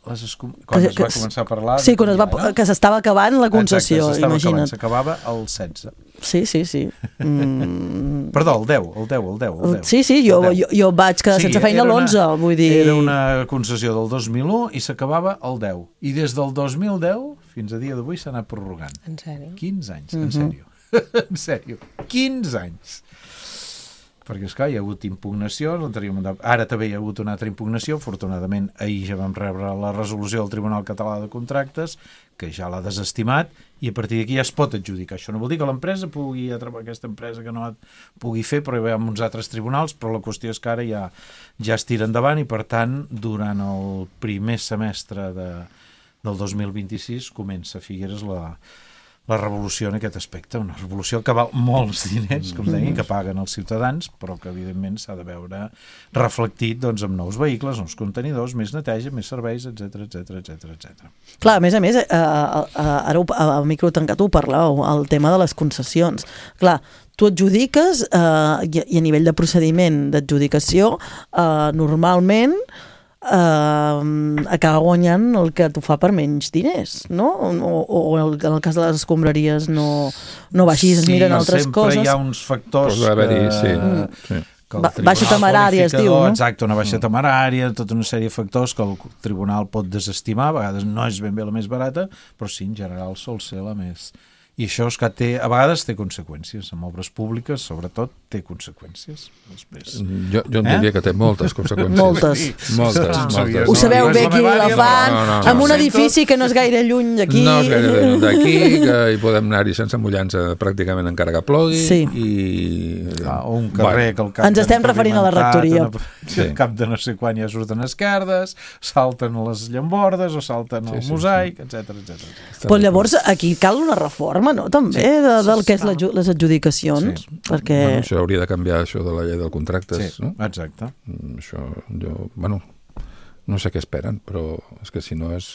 Quan es va començar a parlar... Sí, que s'estava acabant la concessió, imagina't. S'acabava el 16. Sí. Perdó, el 10. Sí, jo vaig quedar sense feina l'11, vull dir... Era una concessió del 2001 i s'acabava el 10. I des del 2010 fins a dia d'avui s'ha anat prorrogant. En sèrio? 15 anys, en sèrio. En sèrio, 15 anys. Perquè, esclar, hi ha hagut impugnacions, ara també hi ha hagut una altra impugnació, afortunadament ahir ja vam rebre la resolució del Tribunal Català de Contractes, que ja l'ha desestimat, i a partir d'aquí ja es pot adjudicar. Això no vol dir que l'empresa pugui atrapar aquesta empresa que no pugui fer, però hi ha uns altres tribunals, però la qüestió és que ara ja es tira endavant i, per tant, durant el primer semestre del 2026 comença a Figueres la revolució en aquest aspecte, una revolució que val molts diners, com deia, que paguen els ciutadans, però que evidentment s'ha de veure reflectit doncs, amb nous vehicles, nous contenidors, més neteja, més serveis, etc. Clar, a més, ara al micro tancat ho parlàveu, el tema de les concessions. Clar, tu adjudiques i a nivell de procediment d'adjudicació, normalment acaba guanyant el que t'ho fa per menys diners, no? O en el cas de les escombraries no va així, es miren altres coses. Sí, sempre hi ha uns factors baixa temerària es diu, no? Exacte, una baixa temerària, tota una sèrie de factors que el tribunal pot desestimar, a vegades no és ben bé la més barata, però sí, en general sol ser la més... I això és que a vegades té conseqüències, amb obres públiques, sobretot, té conseqüències. Després. Jo en diria que té moltes conseqüències. Moltes. Ho sabeu bé aquí a Vilafant, amb un edifici que no és gaire lluny d'aquí. No és gaire lluny d'aquí, que hi podem anar-hi sense mullar-nos pràcticament encara que plogui. O un carrer que el cap... Ens estem referint a la rectoria. Al cap de no sé quan ja surten esquerdes, salten a les llambordes o salten al mosaic, etc. Però llavors aquí cal una reforma, no? També, del que és les adjudicacions, perquè... Això hauria de canviar, això de la llei dels contractes, no? Exacte. Això, no sé què esperen, però és que si no és...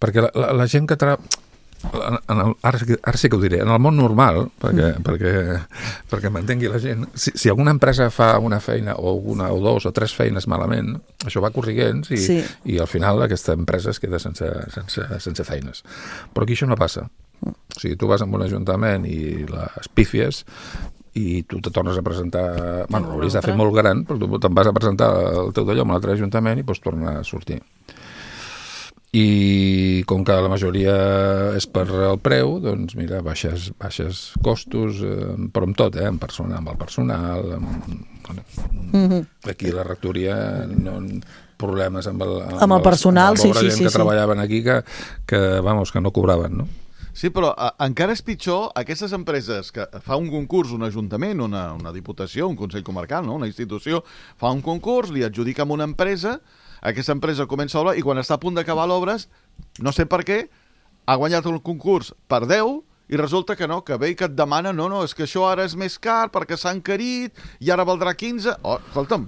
Perquè la gent que ara sí que ho diré, en el món normal, perquè m'entengui la gent, si alguna empresa fa una feina o una o dos o tres feines malament, això va corrigent i al final aquesta empresa es queda sense feines. Però aquí això no passa. O sigui, tu vas a un ajuntament i les pífies i tu te tornes a presentar... Bueno, hauries de fer molt gran, però tu te'n vas a presentar el teu d'allò en un altre ajuntament i pots tornar a sortir. I com que la majoria és per el preu, doncs mira, baixes costos, però amb tot, amb el personal, aquí la rectoria problemes amb el personal, sí, que treballaven aquí que no cobraven, no? Sí, però encara és pitjor aquestes empreses que fa un concurs, un ajuntament, una diputació, un consell comarcal, no? Una institució, fa un concurs, li adjudica a una empresa, aquesta empresa comença l'obra i quan està a punt d'acabar l'obra, no sé per què, ha guanyat el concurs per 10 i resulta que no, que ve i que et demana, no, és que això ara és més car perquè s'ha encarit i ara valdrà 15. Oh, escolta'm,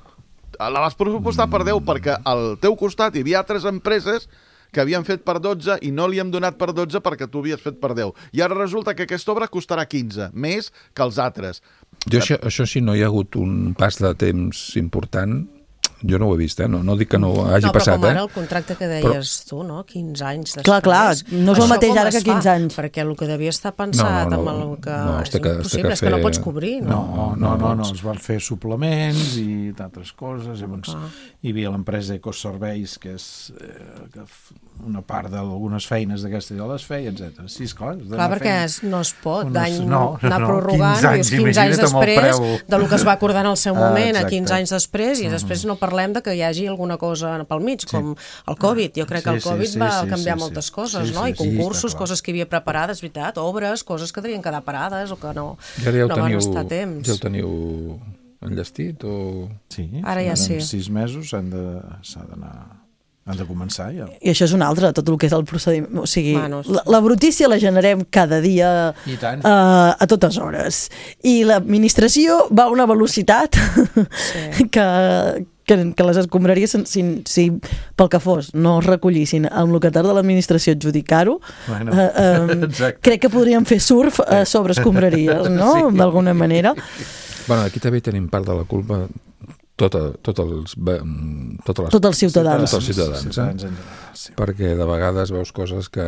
la vas pressupostar per 10 perquè al teu costat hi havia altres empreses que havien fet per 12 i no li hem donat per 12 perquè tu havies fet per 10. I ara resulta que aquesta obra costarà 15, més que els altres. Jo això sí, no hi ha hagut un pas de temps important, jo no ho he vist, no dic que no hagi passat. No, però com ara el contracte que deies tu, no? 15 anys després. Clar, no és el mateix ara que 15 anys. Perquè el que devia estar pensat amb el que és impossible, és que no pots cobrir, no? No, es van fer suplements i d'altres coses, hi havia l'empresa Ecoserveis, que és una part d'algunes feines d'aquestes ja les feia, etc. Sí, esclar. Clar, perquè no es pot anar prorrogant 15 anys després del que es va acordar en el seu moment, a 15 anys després, i després no parlem de que hi hagi alguna cosa pel mig, com el Covid. Jo crec que el Covid va canviar moltes coses, no? I concursos, coses que hi havia preparades, veritat, obres, coses que devien quedar parades o que no van estar a temps. Ja ho teniu enllestit? Sí, ara ja sí. En 6 mesos han de començar ja. I això és un altre, tot el que és el procediment. O sigui, la brutícia la generem cada dia a totes hores. I l'administració va a una velocitat que les escombraries, si pel que fos no es recollissin amb el que tarda l'administració adjudicar-ho, crec que podríem fer surf sobre escombraries, no? D'alguna manera. Bueno, aquí també tenim part de la culpa tots els ciutadans. Perquè de vegades veus coses que...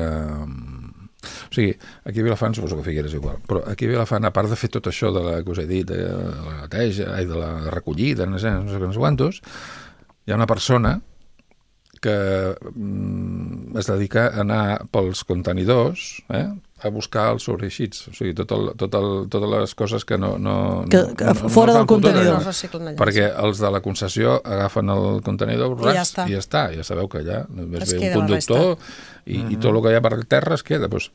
O sigui, aquí a Vilafant, suposo que Figueres igual, però aquí a Vilafant, a part de fer tot això de la que us he dit, de la neteja i de la recollida, no sé quants, hi ha una persona que es dedica a anar pels contenidors, a buscar els sobreeixits, o sigui, totes les coses que no fora del contenidor. Perquè els de la concessió agafen el contenidor i ja està. Ja sabeu que allà només ve un conductor i tot el que hi ha per terra es queda. Doncs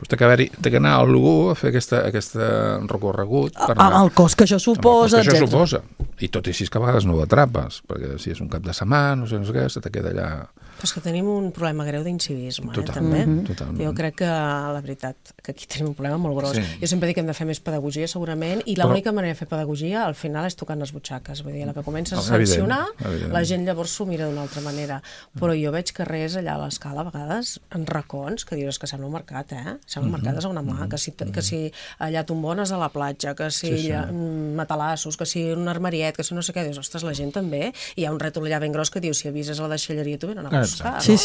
té que anar a algú a fer aquest recorregut. Amb el cost que això suposa, etc. I tot i així que a vegades no ho atrapes, perquè si és un cap de setmana, no sé què, se te queda allà... Però és que tenim un problema greu d'incivisme, també. Totalment. Jo crec que, la veritat, que aquí tenim un problema molt gros. Jo sempre dic que hem de fer més pedagogia, segurament, i l'única manera de fer pedagogia, al final, és tocant les butxaques. Vull dir, la que comences a sancionar, la gent llavors s'ho mira d'una altra manera. Però jo veig carrers allà a l'escala, a vegades, en racons, que dius que sembla un mercat, Sembla un mercat a una mà, que si allà tombones a la platja, que si matalassos, que si un armariet, que si no sé què, dius, ostres, la gent també, hi ha un rètol allà ben gros que diu, si avises a la deixalleria, tu venen a buscar. Sí.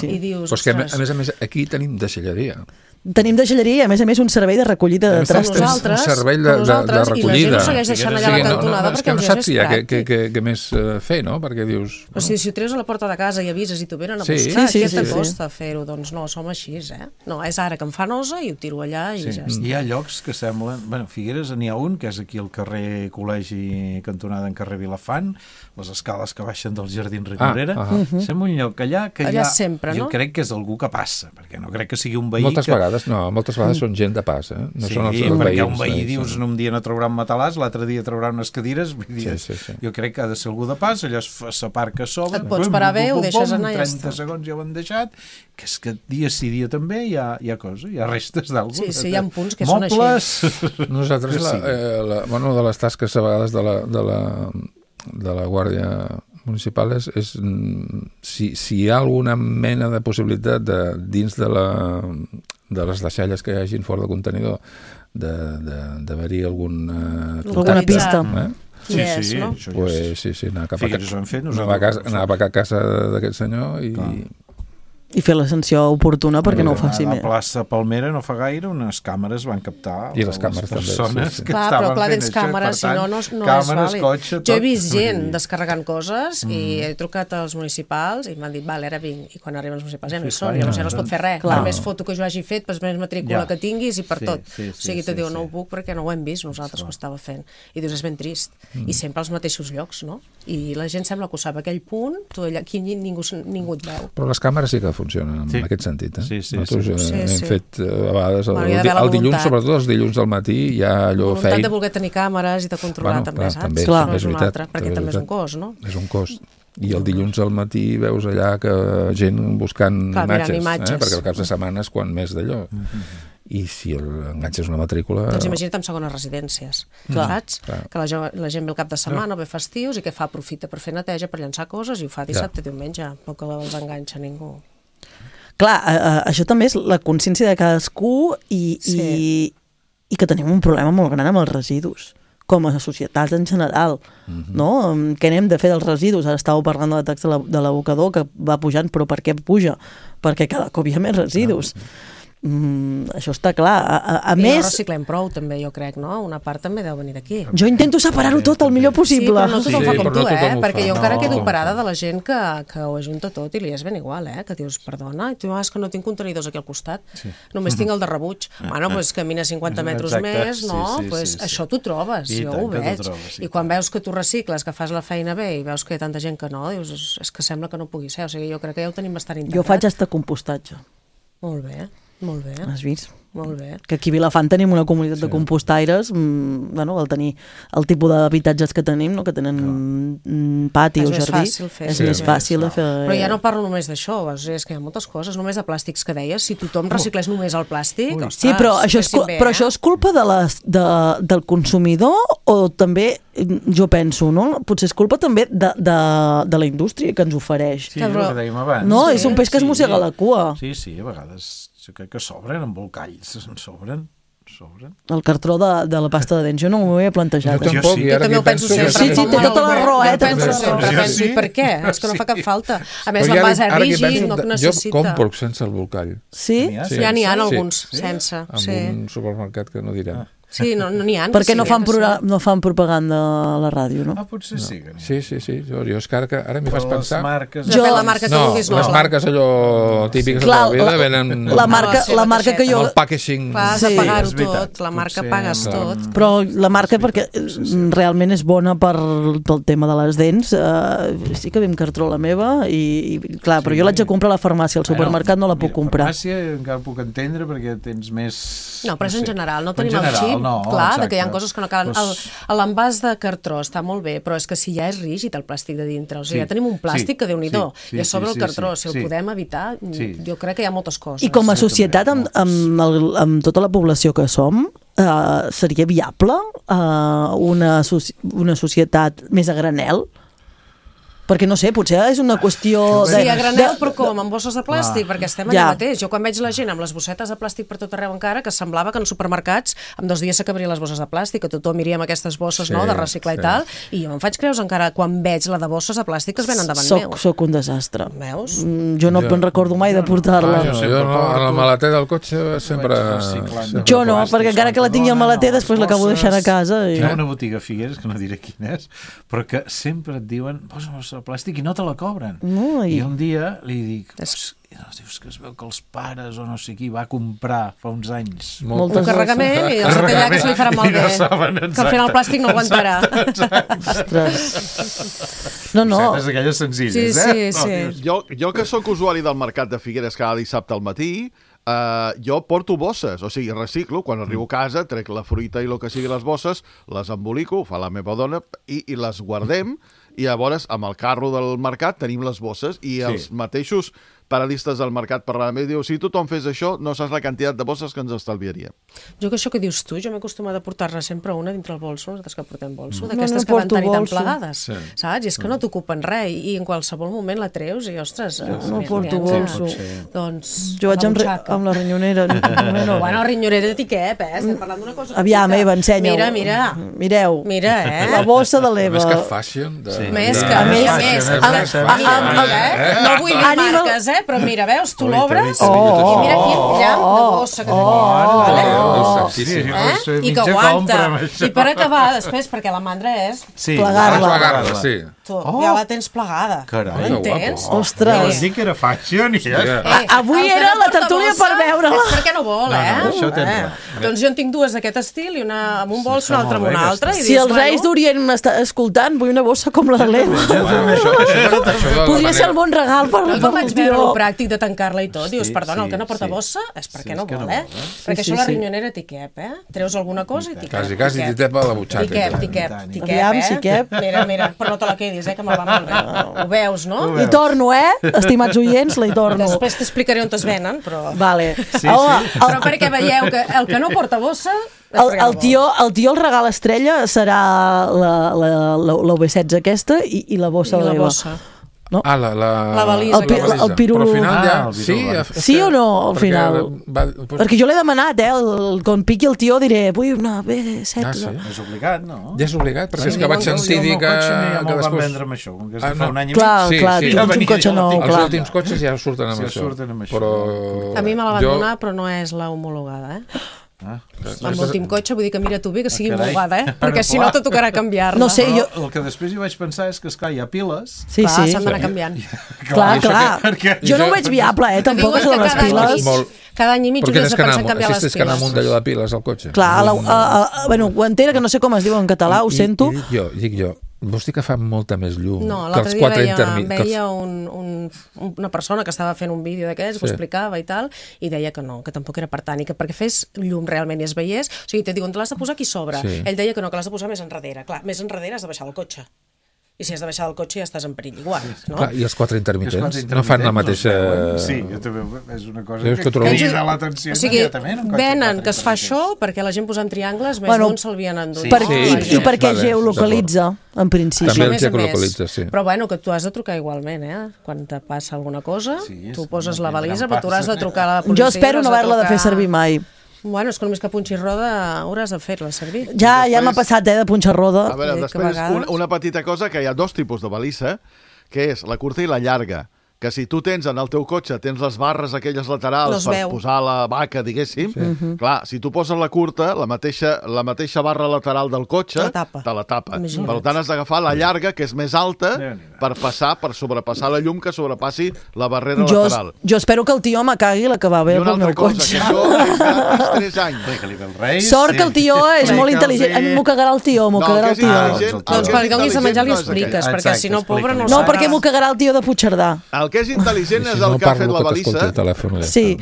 I dius, però és que, a més, aquí tenim deixalleria. Tenim deixalleria i, a més, un servei de recollida de trastos. Un servei de recollida. I la gent ho segueix deixant allà a la cantonada perquè els és més pràctic. Què més fer, no? Perquè dius... Però si ho treus a la porta de casa i avises i t'ho venen a buscar, què t'acosta fer-ho? Doncs no, som així, No, és ara que em fa nosa i ho tiro allà i ja està. Hi ha llocs que semblen... Bueno, Figueres n'hi ha un, que és aquí al carrer Col·legi, cantonada en carrer Vilafant, les escales que baixen del Jardín Ricorera. Sembla un lloc allà que allà sempre, no? Jo crec que és algú que passa, perquè no crec que sigui un veí moltes vegades són gent de pas, No són els veïns. Perquè un veí dius, un dia no trauran matalàs, l'altre dia trauran unes cadires, jo crec que ha de ser algú de pas, allò s'aparca a sobre, et pots parar bé, ho deixes anar i ja està. 30 segons ja ho han deixat, que és que dia sí dia també hi ha coses, hi ha restes d'algú. Sí, hi ha punts que són així. Nosaltres, una de les tasques a vegades de la Guàrdia Municipal és si hi ha alguna mena de possibilitat dins de les deixalles que hi hagin fora del contenidor d'haver-hi alguna pista. Sí, anar cap a casa d'aquest senyor i fer la sanció oportuna perquè no ho faci més. A la plaça Palmera no fa gaire unes càmeres van captar les persones que estaven fent això. Càmeres, si no és vàlid. Jo he vist gent descarregant coses i he trucat als municipals i m'han dit, vale, ara vinc. I quan arriben els municipals ja no hi són, llavors ja no es pot fer res. Per més foto que jo hagi fet, per més matrícula que tinguis i per tot. O sigui, te diu, no ho puc perquè no ho hem vist nosaltres que ho estava fent. I dius, és ben trist. I sempre als mateixos llocs, no? I la gent sembla que ho sap. Aquell punt, aquí ningú et veu. Però les càmeres sí que funcionen en aquest sentit. Nosaltres hem fet a vegades el dilluns, sobretot els dilluns al matí, hi ha allò feina. Voluntat de voler tenir càmeres i de controlar també, saps? Clar, és veritat. Perquè també és un cost, no? És un cost. I el dilluns al matí veus allà que gent buscant imatges, perquè el cap de setmana és quan més d'allò. I si enganxes una matrícula... Doncs imagina't en segones residències, saps? Que la gent ve el cap de setmana o ve festius i què fa? Aprofita per fer neteja, per llançar coses i ho fa dissabte, diumenge, no que els enganxa ningú. Clar, això també és la consciència de cadascú i que tenim un problema molt gran amb els residus, com a societats en general, no? Què n'hem de fer dels residus? Ara estàveu parlant de la taxa de l'abocador, que va pujant, però per què puja? Perquè cada cop hi ha més residus. Això està clar. A més... no reciclem prou, també, jo crec, no? Una part també deu venir d'aquí. Jo intento separar-ho tot el millor possible. Sí, però no tothom fa com tu, perquè jo encara quedo parada de la gent que ho ajunta tot i li és ben igual, que dius, perdona, i tu, és que no tinc contenidors aquí al costat, només tinc el de rebuig. Bueno, doncs camina 50 metres més, no? Això t'ho trobes, jo ho veig. I quan veus que tu recicles, que fas la feina bé i veus que hi ha tanta gent que no, dius, és que sembla que no pugui ser. O sigui, jo crec que ja ho tenim bastant integrat. Jo faig hasta compostatge. Molt bé. Molt bé. Has vist? Molt bé. Que aquí a Vilafant tenim una comunitat de compostaires, bueno, al tenir el tipus d'habitatges que tenim, no? Que tenen pati o jardí, és més fàcil de fer. Però ja no parlo només d'això, és que hi ha moltes coses, només de plàstics que deies, si tothom reciclés només el plàstic, ostres, sí, però això és culpa del consumidor o també, jo penso, no? Potser és culpa també de la indústria que ens ofereix. Sí, el que dèiem abans. No, és un peix que es mossega la cua. Sí, a vegades jo crec que sobren embolcalls, sobren. El cartró de la pasta de dents, jo no m'ho havia plantejat. Jo també ho penso sempre. Sí, té tota la raó, penso, per què? És que no fa cap falta. A més, l'envàs és rígid, no necessita. Jo compro sense el bolcall. Sí? Ja n'hi ha alguns sense. En un supermercat que no direm. Sí, no n'hi ha. Perquè no fan propaganda a la ràdio, no? Potser sí. Sí. Jo és que ara m'hi fas pensar... La marca que vulguis, no. Les marques allò típiques de la vida venen... La marca que jo... El packaging... Vas a pagar-ho tot, la marca pagues tot. Però la marca, perquè realment és bona pel tema de les dents, sí que vam cartró la meva i clar, però jo l'haig de comprar a la farmàcia, al supermercat no la puc comprar. A la farmàcia encara puc entendre perquè tens més... No, però és en general, no tenim el xip, clar, que hi ha coses que no calen. L'envàs de cartró està molt bé, però és que si ja és rígid el plàstic de dintre, o sigui, ja tenim un plàstic que Déu-n'hi-do, i a sobre el cartró, si el podem evitar, jo crec que hi ha moltes coses. I com a societat, amb tota la població que som, seria viable una societat més a granel? Perquè no sé, potser és una qüestió... Sí, a granel, però com? Amb bosses de plàstic? Perquè estem allà mateix. Jo quan veig la gent amb les bossetes de plàstic per tot arreu encara, que semblava que en supermercats en 2 dies s'acabrien les bosses de plàstic, que tothom iria amb aquestes bosses de reciclar i tal, i jo me'n faig creus encara quan veig la de bosses de plàstic que es venen davant meu. Soc un desastre. Veus? Jo no me'n recordo mai de portar-la. Jo a la maleter del cotxe sempre... Jo no, perquè encara que la tingui al maleter després l'acabo deixant a casa. Hi ha una botiga a Figueres, que no diré quina és, però que sempre et diuen posa plàstic i no te la cobren. I un dia li dic, dius que es veu que els pares o no sé qui va comprar fa uns anys un carregament i els atallà que se li farà malbé, que al final el plàstic no aguantarà. No. És d'aquelles senzilles, Sí. Jo que sóc usuari del mercat de Figueres cada dissabte al matí, jo porto bosses, o sigui, reciclo, quan arribo a casa, trec la fruita i el que sigui les bosses, les embolico, fa la meva dona, i les guardem, i llavors amb el carro del mercat tenim les bosses i els mateixos paradistes del mercat parlant i diu, si tothom fes això, no saps la quantitat de bosses que ens estalviaria. Jo que això que dius tu, jo m'he acostumat a portar-ne sempre una dintre el bolso, nosaltres que portem bolso, d'aquestes que van tenir tan plegades, saps? I és que no t'ocupen res i en qualsevol moment la treus i, ostres... No porto bolso. Doncs... Jo vaig amb la rinyonera. Bueno, rinyonera de què, estem parlant d'una cosa... Aviam, Eva, ensenya-ho. Mira. Mireu. Mira, la bossa de l'Eva. Més que fashion. Més que... No vull dir marques, però mira, veus, tu l'obres i mira quin llamp de bossa que tenim. I que aguanta. I per acabar, després, perquè la mandra és plegar-la. Ja la tens plegada. Carai, entens? Ostres. Ja vas dir que era fashion. Avui era la tertúlia per veure-la. Perquè no vol, Doncs jo en tinc 2 d'aquest estil, i una amb un bols, una altra amb un altre. Si els Reis d'Orient m'està escoltant, vull una bossa com la de l'Eva. Podria ser el bon regal per el pràctic de tancar-la i tot. Dius, perdona, el que no porta bossa és perquè no vol, Perquè això la rinyonera t'hi cap, Treus alguna cosa i t'hi cap. Quasi t'hi tepa la butxaca. T'hi cap, Mira, però no te la quedis, que me'l va molt bé. Ho veus, no? I torno, estimats oients, la hi torno. Després t'explicaré on es venen, però... Vale. Però perquè veieu que el que no porta bossa... El tio el regal estrella serà la V16 aquesta i la bossa de l'Eva. No? La valisa. El pirulú. Però al final sí o no, al final? Perquè jo l'he demanat, quan piqui el tio diré, vull una B16. És obligat, no? Ja és obligat, perquè és que vaig sentir dir que... Ja me'l van vendre amb això, com que fa un any i mig. Clar, tens un cotxe nou. Els últims cotxes ja surten amb això. A mi me la van donar, però no és la homologada, amb l'últim cotxe, vull dir que mira tu bé que sigui homologada, perquè si no te tocarà canviar-la. No sé, jo... El que després hi vaig pensar és que, esclar, hi ha piles. Sí. S'han d'anar canviant. Clar. Jo no ho veig viable, tampoc, això de les piles. Cada any i mig hauries de pensar en canviar les piles. Tens que anar amunt d'allò de piles al cotxe. Clar, ho entera, que no sé com es diu en català, ho sento. Dic jo, vols dir que fa molta més llum que els 4 intermitents? Veia una persona que estava fent un vídeo d'aquests, que ho explicava i tal, i deia que no, que tampoc era per tant, i que perquè fes llum realment i es veiés, o sigui, te diuen, te l'has de posar aquí sobre. Ell deia que no, que l'has de posar més enrere. Clar, més enrere has de baixar del cotxe. I si has de baixar del cotxe ja estàs en perill igual, no? Clar, i els 4 intermitents no fan la mateixa... Sí, jo també és una cosa que crida l'atenció immediatament. O sigui, venen que es fa això perquè la gent posant triangles més d'un s'havien endut. I perquè geolocalitza, en principi. També el geolocalitza, sí. Però bueno, que tu has de trucar igualment, quan te passa alguna cosa, tu poses la balisa, però tu hauràs de trucar a la policia. Jo espero no haver-la de fer servir mai. Bueno, és que només que punxis roda hauràs de fer-la servir. Ja m'ha passat, de punxar roda. A veure, després una petita cosa, que hi ha 2 tipus de balisa, que és la curta i la llarga, que si tu tens en el teu cotxe, tens les barres aquelles laterals per posar la vaca, diguéssim, clar, si tu poses la curta, la mateixa barra lateral del cotxe te la tapa. Per tant, has d'agafar la llarga, que és més alta, per sobrepassar la llum que sobrepassi la barrera lateral. Jo espero que el tio me cagui la que va bé pel meu cotxe. I una altra cosa, que això és gratis 3 anys. Sort que el tio és molt intel·ligent. A mi m'ho cagarà el tio, Doncs per donis a menjar li expliques, perquè si no, pobre, no ho sabrà. No, perquè m'ho cagarà el tio de Puigcerdà. El que és intel·ligent és el que ha fet la balissa. Sí.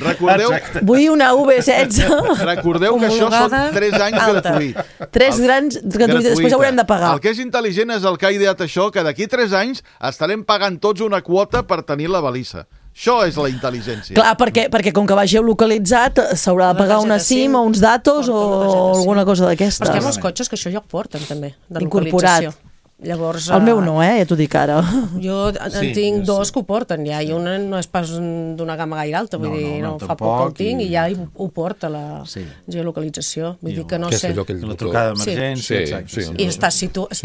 Vull una V16. Recordeu que això són 3 anys gratuït. 3 grans gratuïts, després haurem de pagar. El que és intel·ligent és el que ha ideat això, que d'aquí 3 anys estarem pagant tots una quota per tenir la balissa. Això és la intel·ligència. Clar, perquè com que va geolocalitzat s'haurà de pagar una SIM o uns datos o alguna cosa d'aquestes. Però és que hi ha molts cotxes que això ja ho porten també, de localització. Llavors, el meu no, ja t'ho dic ara. Jo en tinc 2 que ho porten ja, i un no és pas d'una gamma gaire alta, vull dir, no fa poc que el tinc i ja ho porta la geolocalització, vull dir que no sé. La trucada d'emergència, i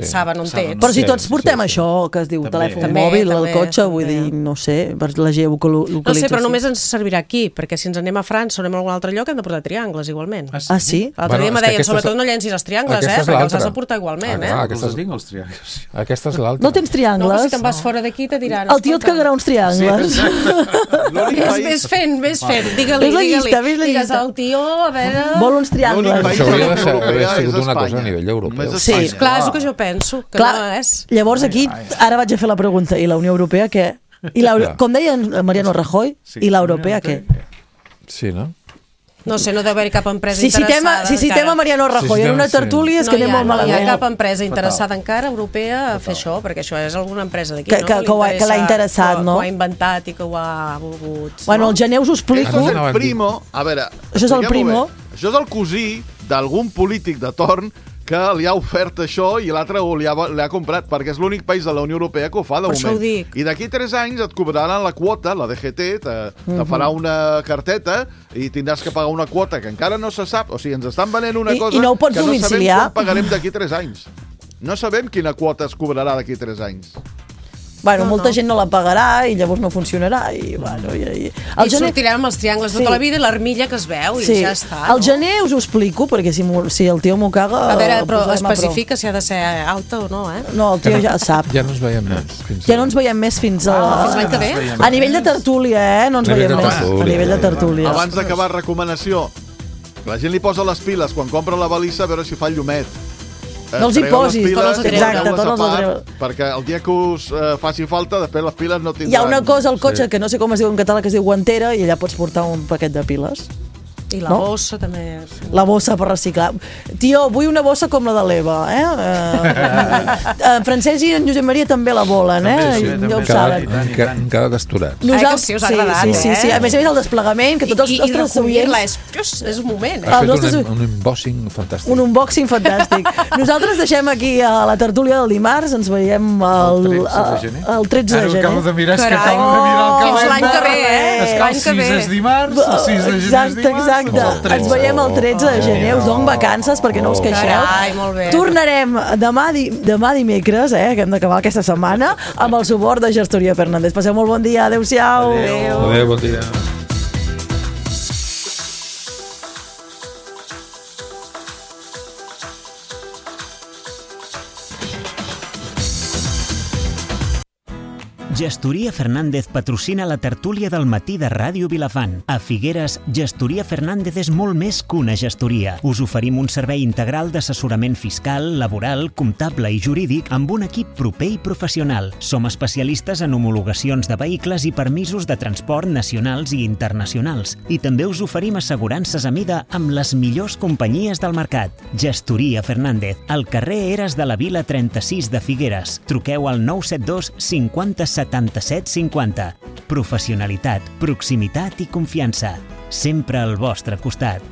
saben on té. Però si tots portem això, que es diu telèfon mòbil al cotxe, vull dir, no sé, per la geolocalització. No sé, però només ens servirà aquí, perquè si ens anem a França o anem a algun altre lloc hem de portar triangles igualment. Ah, sí? L'altre dia me deien, sobretot no llencis els triangles, perquè els has de portar igualment. Aquestes tinc els triangles. Aquesta és l'altra. No tens triangles? No, si te'n vas fora d'aquí te diran... El tio et cagarà uns triangles. Ves fent. Digue-li. Digues al tio, a veure... Vol uns triangles. Això hauria d'haver sigut una cosa a nivell europeu. Sí, clar, és el que jo penso, que no és. Llavors aquí, ara vaig a fer la pregunta, i la Unió Europea què? Com deia Mariano Rajoy, i l'europea què? Sí, no? No sé, no deu haver-hi cap empresa interessada. Si citem a Mariano Rajoy en una tertúlia és que anem molt malament. No hi ha cap empresa interessada encara europea a fer això, perquè això és alguna empresa d'aquí, no? Que l'ha interessat, no? Que ho ha inventat i que ho ha volgut. Bueno, el gener us ho explico. Això és el primo, a veure... Això és el primo. Això és el cosí d'algun polític de torn que li ha ofert això i l'altre li ha comprat, perquè és l'únic país de la Unió Europea que ho fa de moment. Per això ho dic. I d'aquí 3 anys et cobraran la quota, la DGT, te farà una carteta i tindràs que pagar una quota que encara no se sap. O sigui, ens estan venent una cosa que no sabem quan pagarem d'aquí 3 anys. No sabem quina quota es cobrarà d'aquí 3 anys. Bueno, molta gent no la pagarà i llavors no funcionarà i bueno... I sortirem amb els triangles tota la vida i l'armilla que es veu i ja està. Al gener us ho explico, perquè si el tio m'ho caga... A veure, però especifica si ha de ser alta o no, eh? No, el tio ja sap. Ja no ens veiem més. Ja no ens veiem més fins l'any que ve? A nivell de tertúlia, no ens veiem més. A nivell de tertúlia. Abans d'acabar, recomanació. La gent li posa les piles quan compra la balissa a veure si fa llumet. No els hi posis, exacte, tots els treu. Perquè el dia que us faci falta, després les piles no tindran... Hi ha una cosa al cotxe que no sé com es diu en català, que es diu guantera, i allà pots portar un paquet de piles. I la bossa també. La bossa per reciclar. Tio, vull una bossa com la de l'Eva, En Francesc i en Josep Maria també la volen, Ja ho saben. Han quedat asturats. Sí, us ha agradat, Sí. A més el desplegament, que tots els nostres recollir-la és un moment, Has fet un unboxing fantàstic. Un unboxing fantàstic. Nosaltres deixem aquí a la tertúlia del dimarts, ens veiem el 13 de gener. Acabo de mirar, el calendari. Fins l'any que ve, El 6 és dimarts, el 6 de gener és dimarts. Exacte, ens veiem el 13 de gener, us dono vacances perquè no us queixeu. Tornarem demà dimecres, que hem d'acabar aquesta setmana, amb el suport de Gestoria Fernández. Passeu molt bon dia, adeu-siau. Adeu, bon dia. Gestoria Fernández patrocina la tertúlia del matí de Ràdio Vilafant. A Figueres, Gestoria Fernández és molt més que una gestoria. Us oferim un servei integral d'assessorament fiscal, laboral, comptable i jurídic amb un equip proper i professional. Som especialistes en homologacions de vehicles i permisos de transport nacionals i internacionals. I també us oferim assegurances a mida amb les millors companyies del mercat. Gestoria Fernández, al carrer Eres de la Vila 36 de Figueres. Truqueu al 972 50 77 50. Professionalitat, proximitat i confiança. Sempre al vostre costat.